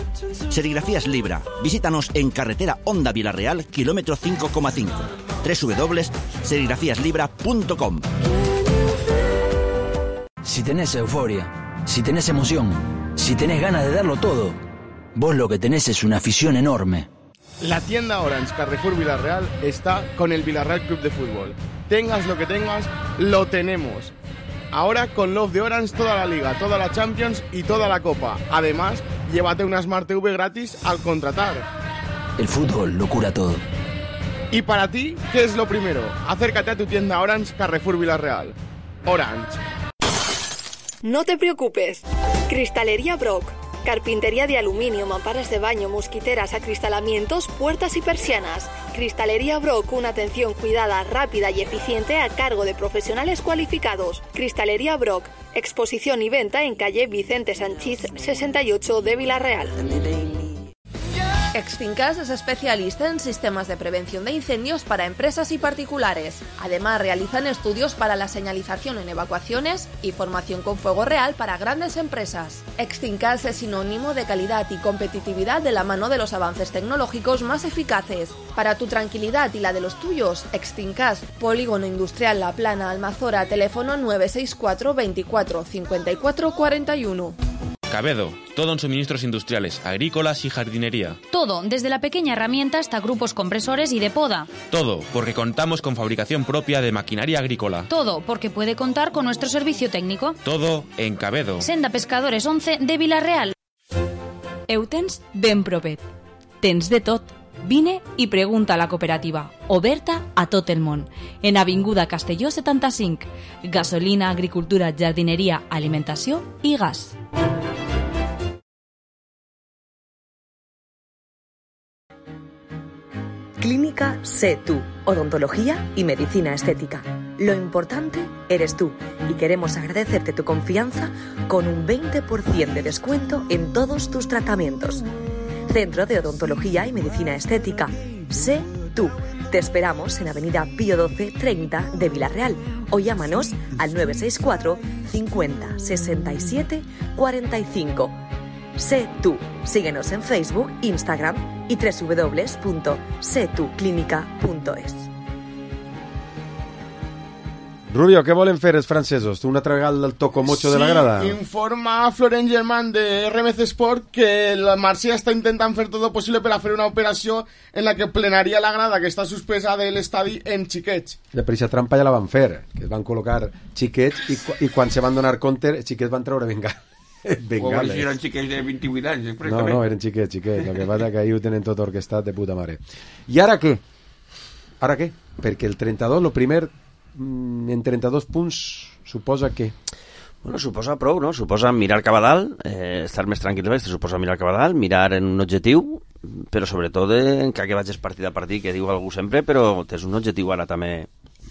Serigrafías Libra. Visítanos en carretera Honda Villarreal, kilómetro cinco coma cinco. doble u doble u doble u punto serigrafías libra punto com. Si tenés euforia, si tenés emoción, si tenés ganas de darlo todo, vos lo que tenés es una afición enorme. La tienda Orange Carrefour Villarreal está con el Villarreal Club de Fútbol. Tengas lo que tengas, lo tenemos. Ahora con Love de Orange toda la Liga, toda la Champions y toda la Copa. Además, llévate una Smart T V gratis al contratar. El fútbol lo cura todo. Y para ti, ¿qué es lo primero? Acércate a tu tienda Orange Carrefour Villarreal. Orange. No te preocupes. Cristalería Brock. Carpintería de aluminio, mamparas de baño, mosquiteras, acristalamientos, puertas y persianas. Cristalería Brock, una atención cuidada, rápida y eficiente a cargo de profesionales cualificados. Cristalería Brock, exposición y venta en calle Vicente Sanchís sesenta y ocho de Villarreal. Exfincas es especialista en sistemas de prevención de incendios para empresas y particulares. Además, realizan estudios para la señalización en evacuaciones y formación con fuego real para grandes empresas. Exfincas es sinónimo de calidad y competitividad de la mano de los avances tecnológicos más eficaces. Para tu tranquilidad y la de los tuyos, Exfincas, Polígono Industrial La Plana, Almazora, teléfono nueve seis cuatro veinticuatro cincuenta y cuatro cuarenta y uno. Cabedo, todo en suministros industriales, agrícolas y jardinería. Todo, desde la pequeña herramienta hasta grupos compresores y de poda. Todo, porque contamos con fabricación propia de maquinaria agrícola. Todo, porque puede contar con nuestro servicio técnico. Todo en Cabedo. Senda Pescadores once de Villarreal. Eu tens ben propet. Tens de tot. Vine i pregunta a la cooperativa, oberta a tot el món, en Avinguda Castelló setanta-cinc. Gasolina, agricultura, jardineria, alimentació i gas. Clínica Sé Tú, odontología y medicina estética. Lo importante eres tú y queremos agradecerte tu confianza con un veinte por ciento de descuento en todos tus tratamientos. Centro de Odontología y Medicina Estética. Sé Tú. Te esperamos en Avenida Pío doce treinta de Villarreal o llámanos al nueve seis cuatro cincuenta sesenta y siete cuarenta y cinco. Sé Tú. Síguenos en Facebook, Instagram y doble u doble u doble u punto sé tú clínica punto es. Rubio, què volen fer els francesos? Tu una altra vegada el tocomocho sí, de la grada? Sí, informa Florent Germain de R M C Sport que el Marsella està intentant fer tot el possible per a fer una operació en la que plenaria la grada que està suspesa de l'estadi en xiquets. Ja, per aquesta trampa ja la van fer, que es van col·locar xiquets i, i quan se van donar compte, els xiquets van treure bengales. Bengales. O si eren xiquets de vint-i-vuit anys. No, no, eren xiquets, xiquets. El que passa que ahir ho tenen tot orquestat de puta mare. I ara què? Ara què? Perquè el trenta-dos, el primer... en trenta-dos punts suposa que... Bueno, suposa prou, no? Suposa mirar cap a dalt, eh, estar més tranquil, suposa mirar cap a dalt, mirar en un objectiu, però sobretot en que vagis partit a partit, que diu algú sempre, però tens un objectiu ara també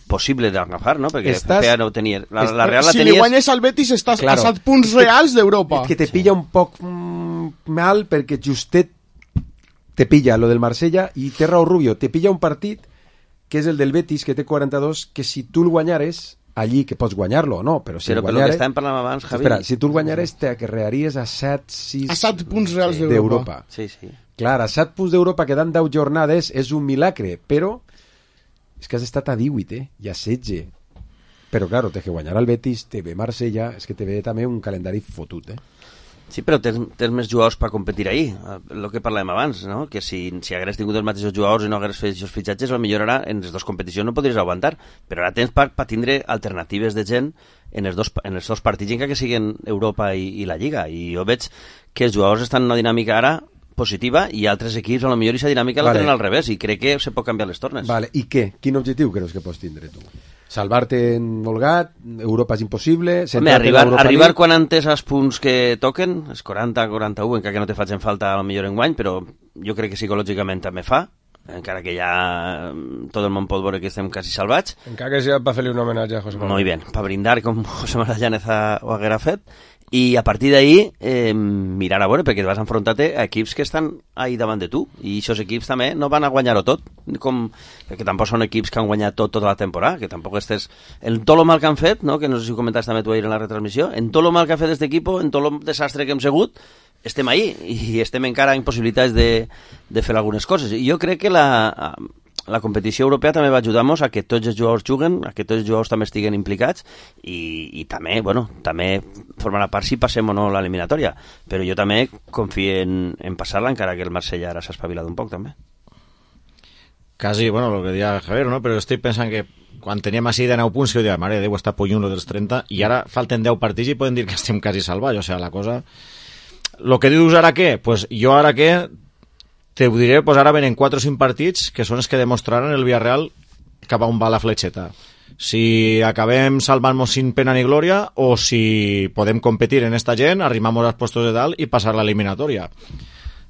possible d'agafar, no? Perquè estàs, F P A no ho tenia... La, la Real la si tenies... li guanyes al Betis estàs claro, a set punts reals d'Europa. Que te pilla un poc mm, mal perquè justet te pilla lo del Marsella i té raó Rubio, te pilla un partit que és el del Betis, que té quaranta-dos, que si tu el guanyares, allí, que pots guanyar-lo o no, però si però, el guanyares... Però que estàvem parlant abans, Javi... Espera, si tu el guanyares, te acarrearies a set, sis... A set punts reals sí, d'Europa. Sí, sí. Clar, a set punts d'Europa quedant deu jornades és un milagre, però és que has estat a divuit, eh? I a setze. Però, clar, té que guanyar el Betis, te ve Marsella, és que te ve també un calendari fotut, eh? Sí, però tens, tens més jugadors per competir ahir, el que parlàvem abans, no? Que si, si hagués tingut els mateixos jugadors i no hagués fet aquests fitxatges, potser ara en les dues competicions no podries aguantar, però ara tens per, per tindre alternatives de gent en els dos, en els dos partits, encara que siguin Europa i, i la Lliga, i jo veig que els jugadors estan en una dinàmica ara positiva i altres equips a lo millor aquesta dinàmica vale. La tenen al revés i crec que se pot canviar les tornes. Vale. I què? Quin objectiu creus que pots tindre tu? Salvar-te en Volgat, Europa és impossible... Home, arribar, arribar quan antes els punts que toquen, els quaranta quaranta-u, encara que no te facin falta a lo millor en guany, però jo crec que psicològicament també fa, encara que ja tot el món pot veure que estem quasi salvats. Encara que sigui per fer-li un homenatge a José Manuel. Muy bien, per brindar com José Manuel Llánez ho haguera fet, i a partir d'ahir eh, mirar a veure, perquè vas enfrontar-te a equips que estan ahí davant de tu, i aquests equips també no van a guanyar-ho tot, com, perquè tampoc són equips que han guanyat tot tota la temporada, que tampoc estés... En tot el mal que han fet, no? Que no sé si ho comentaves també tu ahir en la retransmissió, en tot el mal que ha fet aquest equip, en tot el desastre que hem segut, estem ahí, i estem encara en possibilitats de, de fer algunes coses. I jo crec que la... la competició europea també va ajudar-nos a que tots els jugadors juguen, a que tots els jugadors també estiguen implicats i, i també, bueno, també formarà part si passem o no l'eliminatòria, però jo també confio en, en passar-la, encara que el Marsella ara s'ha espavilat un poc també. Casi, bueno, lo que decía Javier, ¿no? Pero estoy pensando que quan teníem així de nou punts, que jo diria, mare de Déu, està pollunt dels trenta, i ara falten deu partits i poden dir que estem quasi salvats, o sigui, la cosa... Lo que dius ara què? Pues jo ara què? Te ho diré, pues ara venen quatre o cinc partits que són els que demostraran el Villarreal cap a on va la fletxeta. Si acabem salvant-nos sin pena ni glòria o si podem competir en esta gent, arrimamos als puestos de dalt i passar l'eliminatòria.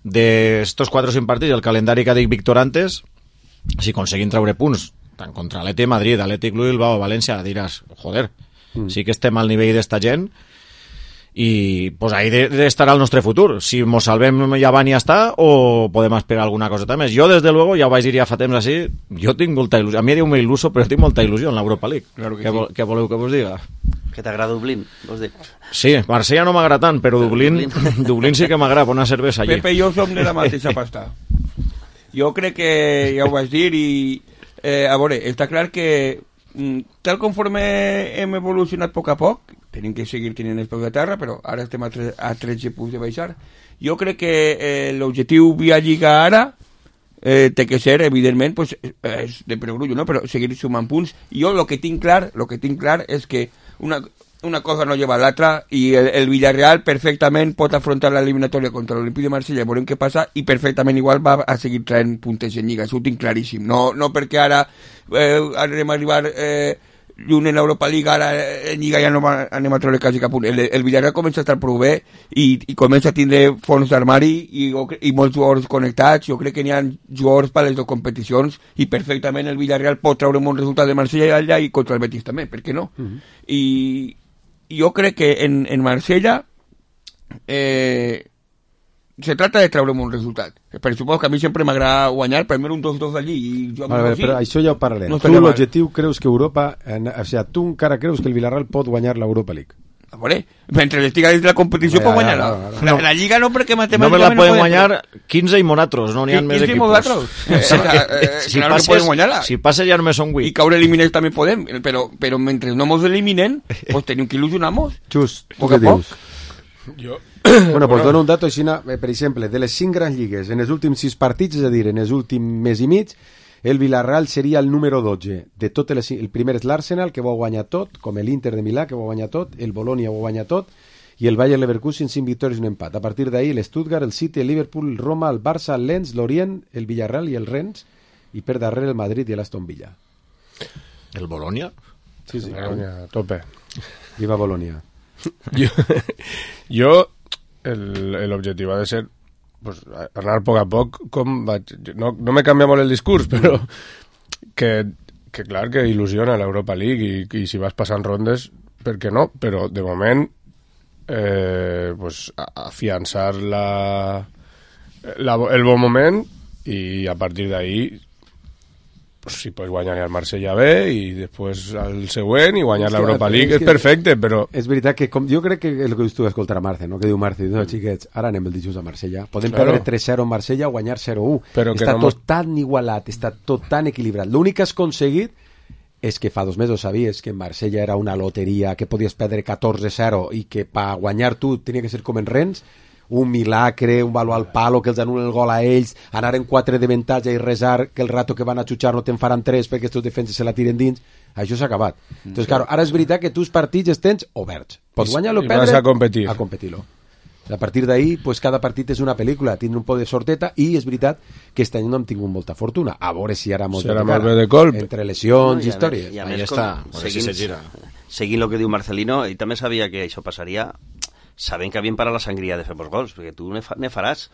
D'estos quatre o cinc partits, el calendari que ha dit Víctor antes, si aconseguim treure punts tant contra l'Atlètic Madrid, Atlètic Bilbao, València, diràs, joder, mm. sí que estem al nivell d'esta gent i pues ahí de, de estarà el nostre futur. Si mos salvem ja van i ja està, o podem esperar alguna coseta més. Jo, des de luego, ja ho vaig dir ja fa temps així, jo tinc molta il·lusió. A mi diu-me il·luso, però tinc molta il·lusió en l'Europa League. Claro que què, sí. vol, què voleu que vos diga? Que t'agrada Dublín, vols dir? Sí, Marsella no m'agrada tant, però Dublín, Dublín. Dublín sí que m'agrada, una cervesa allí. Pepe i jo som de la mateixa pasta. Jo crec que ja ho vaig dir i, eh, a veure, està clar que tal conforme hem evolucionat a poc a poc, tenim que seguir tenint els peus de terra, però ara estem a, tre a tretze punts de baixar. Jo crec que eh, l'objectiu via Lliga ara eh, té que ser, evidentment, pues, és de perogrullo, no? Però seguir sumant punts. I jo el que tinc clar, lo que tinc clar és que una, una cosa no lleva a l'altra i el, el Villarreal perfectament pot afrontar l'eliminatòria contra l'Olímpic de Marsella, veurem què passa, i perfectament igual va a seguir traient puntes en Lliga. Això ho tinc claríssim. No, no perquè ara eh, anem a arribar... Eh, lluny en l'Europa League, ara en Lliga ja no va, anem a treure quasi cap punt. El, el Villarreal comença a estar prou bé i, i comença a tindre fons d'armari i, i molts jugadors connectats. Jo crec que n'hi ha jugadors per a les dues competicions i perfectament el Villarreal pot treure un bon resultat de Marsella allà i contra el Betis també, per què no? Uh-huh. I, i jo crec que en, en Marsella eh, se trata de treure un resultat. Per suposo que a mi sempre m'agrada guanyar, primer un dos dos allí i jo a veure, però això ja ho parlarem. No tu l'objectiu creus que Europa, en, o sigui, tu encara creus que el Villarreal pot guanyar l'Europa League? A veure, mentre estiga dins de la competició pot guanyar la, la, la, la Lliga no, perquè matemàticament no me la poden guanyar quinze i monatros, no n'hi ha més equipos. Si passes, si passes ja només són vuit. I caure eliminats també podem, però, però mentre no mos eliminen, pues tenim que il·lusionar-nos. Just, tu què dius? Jo... Bueno, pues dono un dato així, per exemple, de les cinc grans lligues, en els últims sis partits, és a dir, en els últims mes i mig, el Villarreal seria el número dotze. De totes les, el primer és l'Arsenal, que ho ha guanyat tot, com l'Inter de Milà, que ho ha guanyat tot, el Bologna ho ha guanyat tot, i el Bayer Leverkusen cinc victòries i un empat. A partir d'ahir, l'Stuttgart, el City, el Liverpool, el Roma, el Barça, el Lens, l'Orient, el Villarreal i el Rennes, i per darrere el Madrid i l'Aston Villa. El Bologna? Sí, sí. Bologna, a tope. Viva Bologna. Jo... jo l'objectiu ha de ser pues, anar a poc a poc com vaig... no, no me canvia molt el discurs, però que, que clar que il·lusiona l'Europa League i, i si vas passant rondes, per què no? Però de moment eh, pues, afiançar la, la, el bon moment i a partir d'ahí pues, si pots guanyar al Marsella bé i després al següent i guanyar l'Europa League és, és perfecte, però... És veritat que com, jo crec que el que tu escoltar a Marce, no? Que diu Marce, no, xiquets, ara anem el dijous a Marsella. Podem claro. perdre tres zero en Marsella o guanyar zero u. Està no tot mos... tan igualat, està tot tan equilibrat. L'únic que has aconseguit és que fa dos mesos sabies que en Marsella era una loteria, que podies perdre catorze zero i que per guanyar tu tenia que ser com en Rennes, un milagre, un valor al palo, que els anulen el gol a ells, anar en quatre de avantatge i resar que el rato que van a xutxar no te'n faran tres perquè els defenses se la tiren dins. Això s'ha acabat. Mm. Entonces, claro, ara és veritat que tus partits els tens oberts. Pots guanyar-lo o perdre... a competir. A competir-lo. A partir d'ahí, pues, cada partit és una pel·lícula, tindre un poc de sorteta, i és veritat que aquest any no hem tingut molta fortuna. A veure si ara molt si de cara, de colp. Entre lesions no, i, i històries. I a més, com, seguint, si seguint el que diu Marcelino, i també sabia que això passaria, sabent que havien parat la sangria de fer molts gols, perquè tu ne, fa, ne faràs.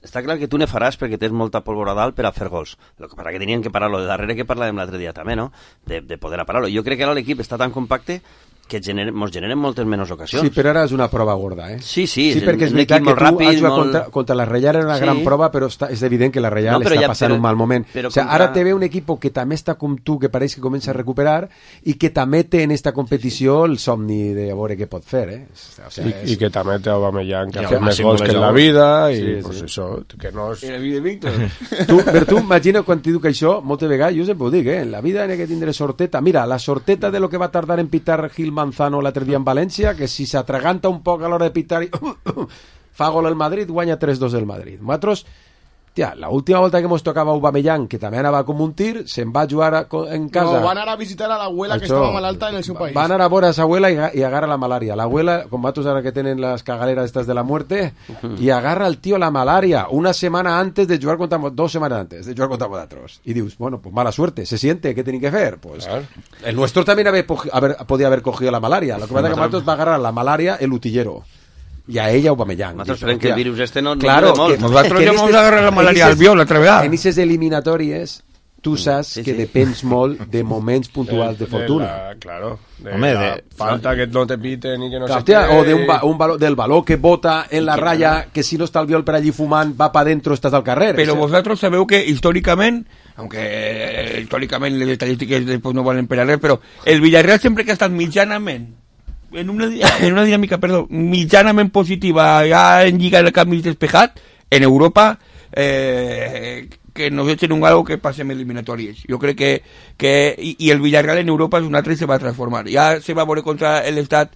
Està clar que tu ne faràs perquè tens molta pólvora dalt per a fer gols. El que passa que tenien que parar-lo de darrere, que parlàvem l'altre dia també, no? De, de poder parar-lo. Jo crec que ara l'equip està tan compacte que generen, mos generen moltes menys ocasions. Sí, però ara és una prova gorda, eh? Sí, sí, sí perquè és veritat que tu ràpid, has jugat molt... contra, contra la Reial era una sí. gran prova, però està, és evident que la Reial no, està ja, passant però, un mal moment. O sea, contra... Ara te ve un equip que també està com tu, que pareix que comença a recuperar i que també té en esta competició el somni de veure què pot fer, eh? O sea, I, és... I que també té Aubameyang, que ha fet més gols que en la vida, i sí, pues sí. això, que no és... I la vida de Víctor. tu, per tu, imagina quan t'hi dic això, moltes vegades, jo sempre ho dic, eh? En la vida n'hi ha que tindre sorteta. Mira, la sorteta de lo que va tardar en pitar Gil Manzano l'altre dia en València, que si s'atraganta un poc a l'hora de pitar i fa gol el Madrid, guanya tres dos el Madrid. Nosaltres Hòstia, la última volta que mos tocava Aubameyang, que també anava com un tir, se'n va jugar a, en casa. No, van anar a visitar a l'abuela Això, que estava malalta en el seu país. Van anar a veure a sa abuela i, i agarra la malària. L'abuela, com vatos ara que tenen les cagaleras estas de la muerte, uh-huh. i agarra el tío la malaria una semana antes de jugar contra dos semanas antes de jugar contra vosotros. Y dius, bueno, pues mala suerte, se siente, ¿qué tienen que hacer? Pues claro. El nuestro también haber, haber, podía haber cogido la malaria. Lo que pasa es que Matos va a agarrar la malaria el utillero. Y a ella Aubameyang. Nosotros creen que el virus este no, no claro, que, nosotros que ya vamos a agarrar la malaria al viol otra vez. En esas eliminatorias tu saps sí, que sí. depens molt de moments puntuals de, de fortuna. De la, claro. De Home, la de, falta que no te piten i que no clar, sé què. O de un, un valor, del valor que bota en la raya, que si no està el viol per allí fumant, va para dentro, estàs al carrer. Pero ese... vosotros sabeu que històricament, aunque eh, històricament les estadístiques después no valen per a res, però el Villarreal sempre que ha estat mitjanament en una, en una dinàmica, perdó, mitjanament positiva, ja en Lliga de Canvis despejat, en Europa, eh, que nos echen un algo que pasem eliminatorias. Yo creo que, que y, y el Villarreal en Europa es un altre y se va a transformar. Ya se va a veure contra el Estat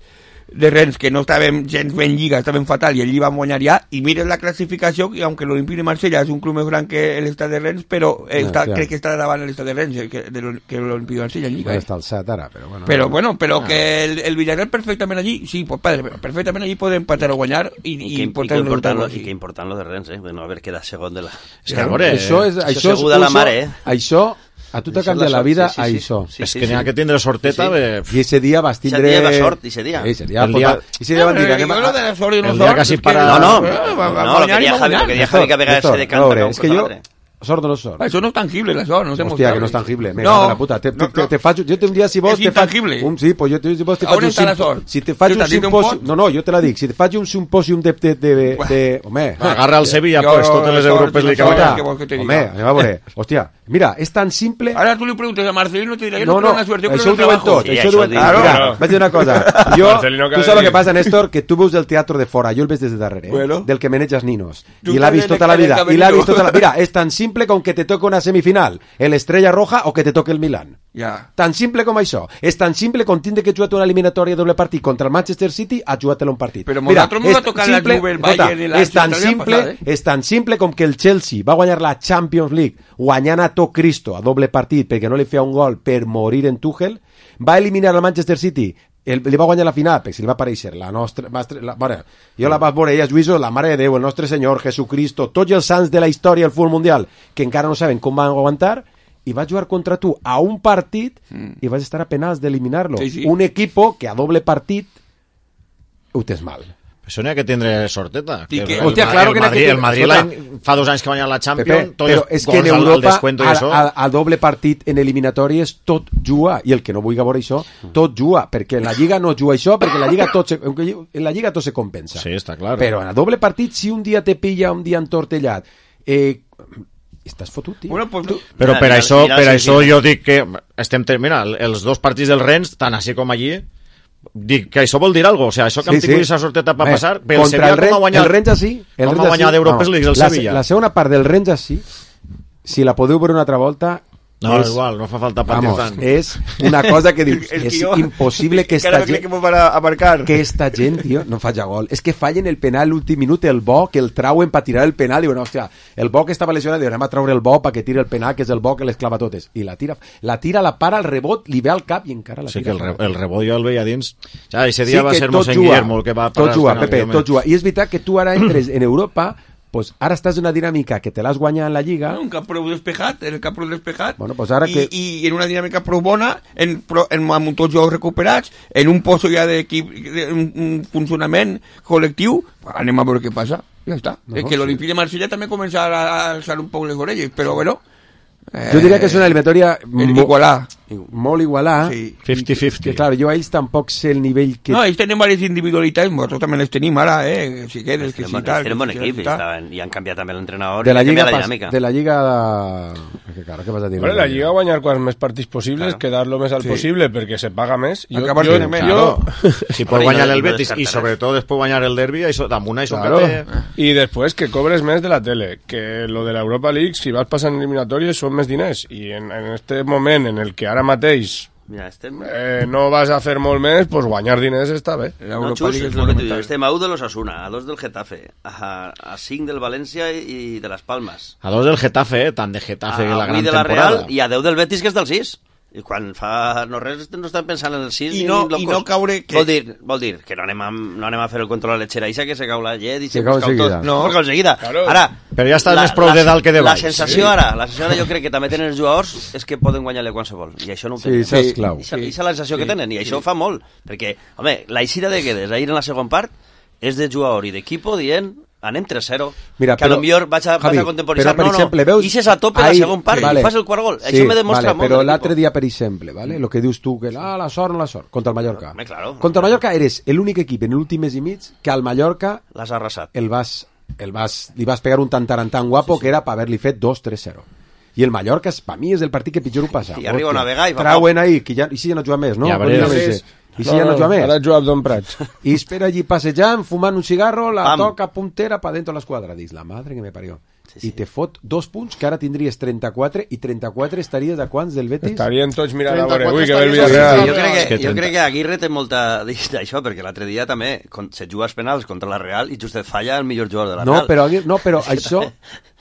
de Rennes, que no estaven gens ben lliga, estaven fatal, i allí van guanyar ja, i mires la classificació, i aunque l'Olympique de Marsella és un club més gran que l'Estat de Rennes, però està, no, crec que està davant l'Estat de Rennes que, de que l'Olympique de Marsella en lliga. No està alçat ara, però bueno. Però bueno, però ah. que el, el Villarreal perfectament allí, sí, pues padre, perfectament allí poden empatar o guanyar, i, i, i, i, que important lo, i que important lo de Rennes, eh? Bueno, a veure, queda segon de la... És que, veure, això és... Això és la mare, eh? Això... A tu t'ha canviat la vida sí, sí, a sí, això. Sí, sí, és sí, que n'hi ha sí. que tindre sorteta sí, sí. de... I ese dia vas tindre... Ese dia va sort, ese dia. Ese dia, el dia... Ese dia van dir... Anem a... de la sort i no el dia quasi para... No, no, no, lo que deia Javi, lo que deia Javi que a vegades se decanta. És que jo... Sort o no sort? Això no és tangible, la sort, no sé. Hòstia, que no és tangible. Me cago en la puta. Te, te, te, te faig... Jo un dia, si vols... És intangible. Un, sí, pues jo te, si vols te faig un... On està la sort? Si te faig un simpòsium... No, no, jo te la dic. Si te faig un simpòsium de... de, de, de home... Agarra el Sevilla, pues, totes les Europes li cauen. Home, anem a veure. Hòstia, mira, és tan simple... Ara tu li preguntes a Marcelino, te dirà, no, no, això ho diuen tot. Això ho diuen... Mira, vaig dir una cosa. Jo, tu saps el que passa, Néstor, que tu veus el teatre de fora, jo el ves des de darrere, del que manejas ninos. I l'ha vist tota la vida. I l'ha vist tota la... Mira, és tan simple com que te toca una semifinal el Estrella Roja o que te toque el Milan. Ja. Tan simple com això. És tan simple com tindre que jugar una eliminatòria doble partit contra el Manchester City a jugar-te-la un partit. Però nosaltres no va tocar la Juve, el Bayern i la... És tan simple, és tan simple com que el Chelsea va guanyar la Champions League guanyant a tot Cristo a doble partit perquè no li feia un gol per morir en Tuchel, va eliminar el Manchester City, el, li va guanyar la final perquè se li va aparèixer la nostra... La, bueno, jo la vaig veure, ella, Lluïso, la Mare de Déu, el nostre Senyor, Jesucristo, tots els sants de la història del futbol mundial que encara no saben com van aguantar, i va jugar contra tu a un partit mm. i vas estar a penals d'eliminar-lo. Sí, sí. Un equipo que a doble partit ho tens mal. Això n'hi ha que tindre sorteta. Que que el, Hòstia, el, claro el, que Madrid, que el Madrid l'any, fa dos anys que guanya la Champions, Pepe, però és que en Europa al, al, al doble partit en eliminatòries tot juga, i el que no vulgui veure això tot juga, perquè en la Lliga no juga això, perquè en la Lliga tot se, en la Lliga tot se compensa. Sí, està clar. Però en el doble partit, si un dia te pilla un dia entortellat, eh, estàs fotut, tio. Bueno, pues, tu... Però per això, per això jo dic que estem terminant els dos partits del Rennes, tant així com allí, dic que això vol dir alguna cosa. O sea, això que sí, hem tingut sí. esa sorteta per passar, pel Sevilla com ha guanyat, el Rennes sí, el com ha guanyat d'Europes League el la, Sevilla. La segona part del Rennes sí, si la podeu veure una altra volta, no, és, igual, no fa falta partir tant. És una cosa que dius, és jo, impossible que esta gent... Que, que esta gent, tio, no faci gol. És que fallen el penal l'últim minut, el bo, que el trauen per tirar el penal, diuen, hòstia, el bo que estava lesionat, diuen, anem a traure el bo perquè tiri el penal, que és el bo que les clava totes. I la tira, la tira, la para, el rebot, li ve al cap i encara la tira. Sí, que el, re, el rebot jo el veia dins. Ja, ese dia sí, va ser Mossèn Guillermo el que va parar. Tot juga, Pepe, tot juga. I és veritat que tu ara entres en Europa, pues ara estàs en una dinàmica que te l'has guanyat en la Lliga. Un cap prou despejat, en el cap prou despejat. Bueno, pues ara I, que... I en una dinàmica prou bona, en, en, amb tots jocs recuperats, en un poso ja d'equip, un, un funcionament col·lectiu, anem a veure què passa. Ja està. No, que l'Olympique sí. de Marsella també comença a alçar un poc les orelles, però bueno... Eh, jo diria que és una eliminatòria igualà. Molt igualà. Sí. cinquanta cinquanta. Que, clar, jo a ells tampoc sé el nivell que... No, ells tenen diverses individualitats, nosaltres també les tenim ara, eh? Si quedes, que si tal... Tenen bon equip, i han canviat també l'entrenador de la i Lliga la dinàmica. De la Lliga... Que, claro, què vas a dir? Bueno, la Lliga guanyar quants més partits possibles, claro. Quedar lo més al sí. possible, perquè se paga més. Jo, jo, jo, claro. Si pot guanyar el Betis i sobretot després guanyar el derbi, això, damunt això claro. que té... I després que cobres més de la tele, que lo de l'Europa League, si vas passant eliminatòries, són més diners. I en, en este moment en el que ara mateix Mira, estem... Eh, no vas a fer molt més, pues guanyar diners està bé. No, Xus, és el que tu dius. Estem a u de l'Osasuna, a dos del Getafe, a, a cinc del València i de les Palmes. A dos del Getafe, eh? Tant de Getafe a la gran de la temporada. Real i a deu del Betis, que és del sis. I quan fa no res no estan pensant en el sis I no, i no caure... Que... Vol, dir, vol dir que no anem, a, no anem a fer el control a l'Etxeraixa, que se cau la llet i se, se cau enseguida. No, se cau enseguida. Claro. Ara, però ja estàs més prou de dalt que de baix. La sensació sí. ara, la sensació ara jo crec que també tenen els jugadors és que poden guanyar-li qualsevol. I això no ho tenen. Sí, és clau. I això és la sensació sí. que tenen, i això sí. fa molt. Perquè, home, la eixida de Guedes ahir en la segon part és de jugador i d'equipo dient... anem tres zero, Mira, que però, a lo millor vaig a, Javi, vaig a contemporitzar, però, per no, exemple, no, veus, ixes a tope ahí, la segon part vale, i fas el quart gol, sí, això me demostra vale, molt. Però l'altre dia, per exemple, vale, lo que dius tu, que ah, la sort, no la sort, contra el Mallorca. Home, claro, contra el Mallorca eres l'únic equip en l'últim mes i mig que al Mallorca l'has arrasat. El vas, el vas, li vas pegar un tantarantan guapo sí, sí. que era per haver-li fet dos tres zero. I el Mallorca, per mi, és el partit que pitjor ho passa. I arriba a navegar i fa trauen ahí, que ja, i si ja no juga més, no? Ja veuràs. I si no, ja no juga més. Ara juga Abdon Prats. I espera allí passejant, fumant un cigarro, la Pam. toca puntera pa dentro de l'esquadra. Dius, la madre que me parió. Sí, sí. I te fot dos punts, que ara tindries trenta-quatre, i trenta-quatre estaries a quants del Betis? Estarien tots mirant a veure, ui, que ve el Villarreal. Sí, jo, crec que, jo crec que Aguirre té molta d'això, perquè l'altre dia també se juga els penals contra la Real i Justet falla el millor jugador de la no, Real. Però, no, però això...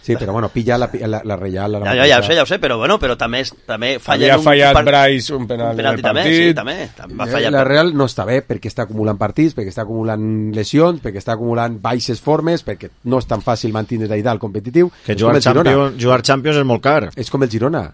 Sí, però bueno, pilla la, la, la Real... La ja, ja, ja ho sé, ja ho sé, però bueno, però també, també falla... Havia fallat un, Bryce un penal en el també, partit. Sí, també, també va fallar. La Real no està bé perquè està acumulant partits, perquè està acumulant lesions, perquè està acumulant baixes formes, perquè no és tan fàcil mantenir d'allà el competitiu. Que jugar Champions, jugar Champions és molt car. És com el Girona.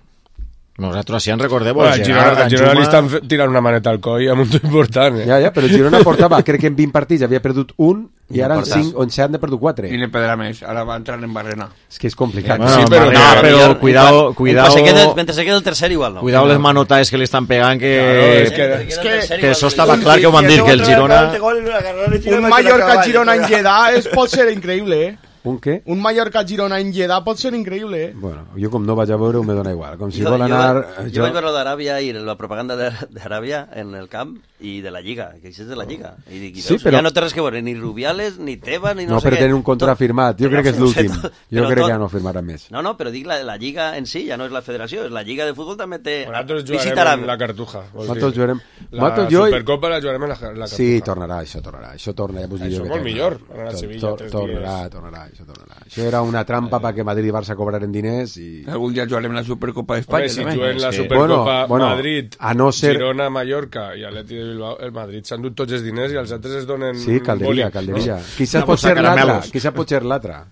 Nosaltres sí en recordeu. Bueno, el Girona, el Girona li estan tirant una maneta al coll amb un tot important. Eh? Ja, ja, però el Girona portava, crec que en vint partits havia perdut un i ara en cinc o en set n'ha perdut quatre. I ne perdrà més, ara va entrar en barrena. És que és complicat. Bueno, sí, però, no, no, però cuidado, cuidado, se quede, mentre se quede el tercer igual no. Cuidado les manotaes que li estan pegant, que, claro, és que, és que, que això estava clar que ho van dir, que el Girona... Un Mallorca-Girona en Lleida pot ser increïble, eh? Un què? Un Mallorca-Girona en Lleida pot ser increïble, eh? Bueno, jo com no vaig a veure, me dona igual. Com si jo, vol anar... Jo, jo, jo vaig veure d'Aràbia i la propaganda d'Aràbia en el camp i de la Lliga, que això és de la Lliga. I dic, sí, però... ja no té res que veure, ni Rubiales, ni Tebas, ni no, no sé què. No, però tenen un contra firmat. Jo crec que és l'últim. Jo crec que ja no firmarà més. No, no, però dic, la, la Lliga en si ja no és la federació, és la Lliga de futbol també té... Nosaltres jugarem en la Cartuja. Nosaltres jugarem... La Supercopa la jugarem en la Cartuja. Sí, tornarà, això tornarà. Això torna, ja això molt millor, anar a Sevilla tres dies. Tornarà, tornarà, això tornarà. Això era una trampa perquè Madrid i Barça cobraren diners i... Algun dia jugarem la Supercopa d'Espanya. Si juguem la Supercopa Madrid, Girona, Mallorca i Atleti de Bilbao, el Madrid s'han dut tots els diners i els altres es donen... Sí, calderia, calderia. Quizás pot ser l'altra, quizás pot ser l'altra.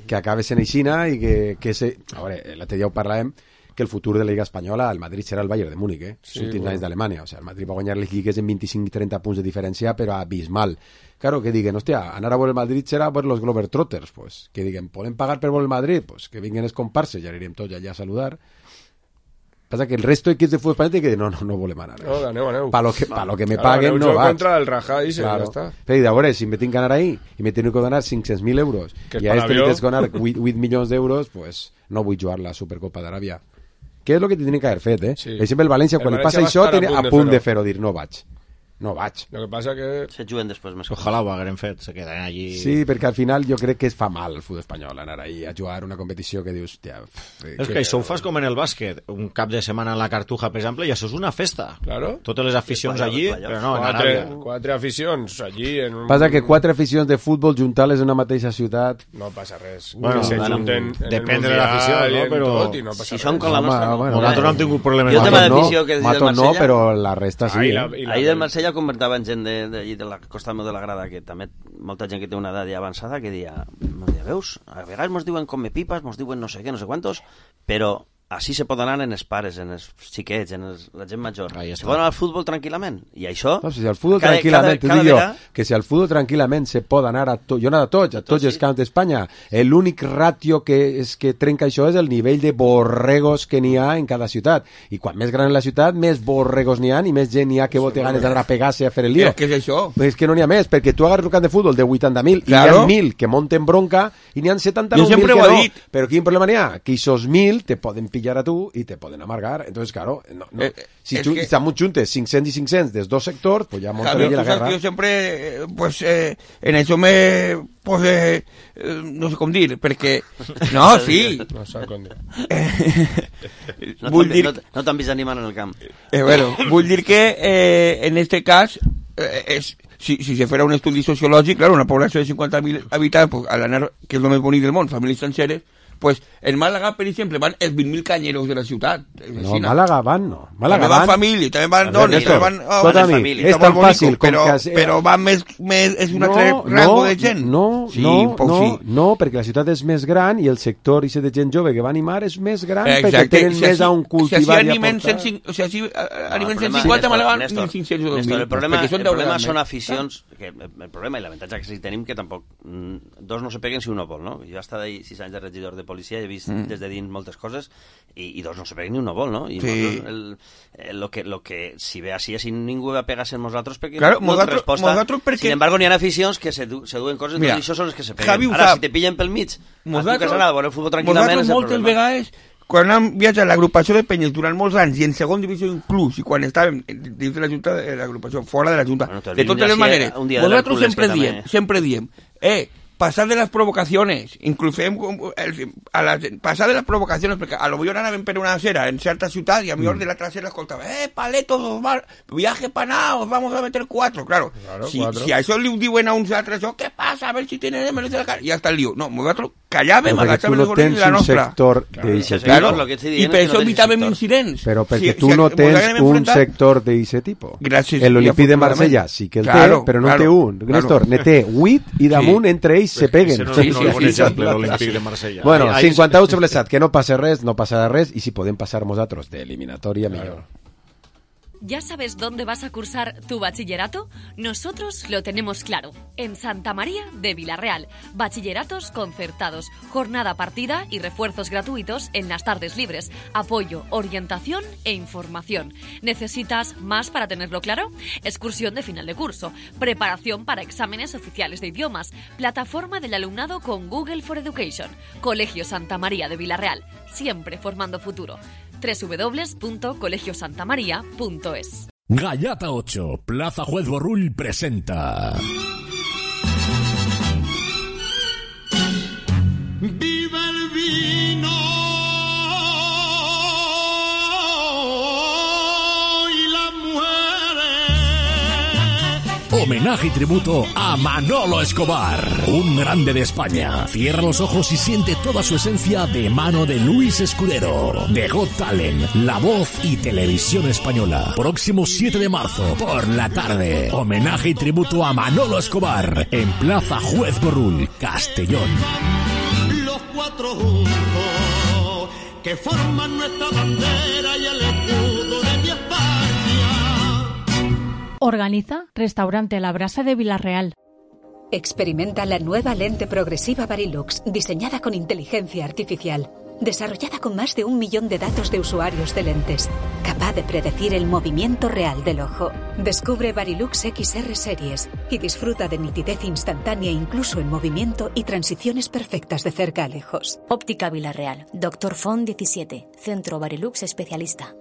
Que acabe sent aixina i que... que se... A veure, l'altre dia ho parlàvem, que el futur de la Lliga Espanyola, el Madrid serà el Bayern de Múnich, eh? Els sí, últims bueno. anys d'Alemanya. O sigui, el Madrid va guanyar les lligues en vint-i-cinc trenta punts de diferència, però abismal. Claro, que diguen, hòstia, anar a veure el Madrid serà veure los Globetrotters, pues. Que diguen, ¿poden pagar per veure el Madrid? Pues que vinguen els comparses, ja anirem tots allà a saludar. Passa que el resto d'equips de futbol espanyol que no, no, no volem anar. No, aneu, aneu. Pa lo que, pa lo que me paguen no vaig. Contra el Raja i se claro. ja està. Però a veure, si me tinc que anar ahí i me tinc que donar cinc-cents mil euros que i a este li tens que donar vuit milions d'euros, pues no vull jugar la Supercopa d'Aràbia. Que és el que tindrien que haver fet, eh? Sí. Per exemple, el València, quan el li passa això, té a punt de fer-ho, dir, no vaig. No vaig. Lo que passa que... Se juguen després més. Ojalà ho hagueren fet, se queden allí... Sí, perquè al final jo crec que es fa mal el futbol espanyol anar ahí a jugar una competició que dius... Hòstia, és que, que això ho fas com en el bàsquet. Un cap de setmana a la Cartuja, per exemple, i això és una festa. Claro. Totes les aficions allí, però no, en quatre, Aràbia. Quatre aficions allí... En un... Passa que quatre aficions de futbol juntar-les en una mateixa ciutat... No passa res. Bueno, se bueno, junten depèn de l'afició, no? Però... Tot, i no passa si res. són con la nostra... Bueno, nosaltres no hem tingut problemes. Jo tema d'afició que Mato no, però la resta sí. Ah, la, eh? Ahir del Marsella convertava en gent de, de, de la costa de la grada, que també molta gent que té una edat ja avançada que dia, veus, a vegades mos diuen come pipas, mos diuen no sé què, no sé quantos, però així se pot anar en els pares, en els xiquets, en els, la gent major. Se pot anar al futbol tranquil·lament. I això... No, si al futbol cada, tranquil·lament, t'ho dic jo, que si al futbol tranquil·lament se pot anar a tot, jo he anat a tots, a tots els camps d'Espanya. L'únic ratio que, és que trenca això és el nivell de borregos que n'hi ha en cada ciutat. I quan més gran és la ciutat, més borregos n'hi ha i més gent n'hi ha que vol tenir ganes d'anar a pegar-se a fer el lío. Què és això? És que no n'hi ha més, perquè tu agarres un camp de futbol de vuitanta mil claro. I n'hi ha mil que monten bronca i n'hi ha setanta-nou mil que no. Dit. Però quin problema n'hi ha? Que aquests mil te poden pillar pillar a tu y te pueden amargar. Entonces, claro, no, no. Eh, si es tú, que... estamos juntos cinc-cents y cinc-cents des dos sectors, pues ya montaría Javier, la tú sabes guerra. que yo siempre, eh, pues, eh, en eso me, pues, eh, eh, no sé com dir, perquè... No, sí. No sé com dir. No Vull t'han dir... no, no t'han vist animant en el camp. Eh, bueno, vull dir que, eh, en este cas, eh, és... Si, si se fuera un estudi sociològic, claro, una població de cinquanta mil habitants, pues, al anar, que és el més bonic del món, famílies senceres, pues en Màlaga, per exemple, van els vint mil canyeros de la ciutat. No, Màlaga van, no. Màlaga també van van... família, també van dones, també van... Oh, Tot a mi, és tan fàcil com però, que... Però van més, més... És un no, altre rango no, de gent. No, sí, no, no, sí. no, perquè la ciutat és més gran i el sector de gent jove que va animar és més gran. Exacte. Perquè tenen si més així, a un cultivar si i a animen portar. cent, o sigui, animen No, cent cinquanta, Néstor, me la van Néstor, mil cinc-cents o dos Néstor, mil. el problema, Perquè són el deu problema vegades són més. aficions, que el problema i l'avantatge que sí tenim que tampoc mm, dos no se peguen si un no vol, no? Jo he estat sis anys de regidor de policia i he vist Mm. des de dins moltes coses i, i dos no se peguen ni un no vol, no? I Sí. el, el, lo, que, lo que si ve així, si ningú va pegar-se en nosaltres perquè Claro, no té nosaltres- resposta. nosaltres perquè- Sin embargo, n'hi ha aficions que se, du, se duen coses, Mira, i això són les que se peguen. Javi ho Ara, sap. si te pillen pel mig, a tu Nosaltres- que has anat a veure el futbol tranquil·lament és Nosaltres el moltes problema. vegades, quan hem viatjat a l'agrupació de penyes durant molts anys i en segon divisió inclús, i quan estàvem dins de la junta, de l'agrupació, fora de la junta, Bueno, de totes les maneres, un dia de nosaltres l'Hèrcules sempre que diem, també- sempre diem, eh, pasar de las provocaciones, incluso el, a las, pasar de las provocaciones, porque a lo mejor anaven per una acera en cierta ciudad y a lo mejor de la trasera escoltava, eh, paletos, os va, viaje para nada, os vamos a meter cuatro, claro. Claro, si, cuatro. si a eso le diuen a uns altres, oh, ¿qué pasa? A ver si tiene de menos de la cara, y ya está el lío. No, nosaltres callàvem, Però perquè tu agachàvem no els gorils tens de la un nostra. sector Claro, d'eixe ese tipus. sector, lo que estoy I dient per és que això no tens evitàvem sector. incidents. Però perquè Si- tu si no ens tens haguem un enfrontat- sector d'eixe tipus. Gràcies, El Olympique i de afortunadament. Marsella sí que el Claro, té, però no claro, té un. claro. Néstor, ne té vuit i damunt entre ells se peguen. Ese no, Sí, no sí, és un sí, exemple, sí. l'Olímpic de Marsella. Bueno, Ahí- ahí- cinquanta-u sobre set, que no passa res, no passarà res, i si podem passar nosaltres d'eliminatòria, millor. ¿Ya sabes dónde vas a cursar tu bachillerato? Nosotros lo tenemos claro. En Santa María de Villarreal. Bachilleratos concertados, jornada partida y refuerzos gratuitos en las tardes libres. Apoyo, orientación e información. ¿Necesitas más para tenerlo claro? Excursión de final de curso. Preparación para exámenes oficiales de idiomas. Plataforma del alumnado con Google for Education. Colegio Santa María de Villarreal. Siempre formando futuro. doble u doble u doble u punto colegio santa maría punto es. Gallata ocho, Plaza Juez Borrull presenta. ¡Viva el vino y las mujeres! Homenaje y tributo a Manolo Escobar, un grande de España. Cierra los ojos y siente toda su esencia de mano de Luis Escudero, de Got Talent, La Voz y Televisión Española. Próximo siete de marzo, por la tarde. Homenaje y tributo a Manolo Escobar, en Plaza Juez Borrull, Castellón. Los cuatro juntos que forman nuestra bandera y el escudo de mi España. Organiza Restaurante La Brasa de Villarreal. Experimenta la nueva lente progresiva Varilux, diseñada con inteligencia artificial, desarrollada con más de un millón de datos de usuarios de lentes, capaz de predecir el movimiento real del ojo. Descubre Varilux X R Series y disfruta de nitidez instantánea incluso en movimiento y transiciones perfectas de cerca a lejos. Óptica Villarreal, Doctor Font diecisiete, Centro Varilux Especialista.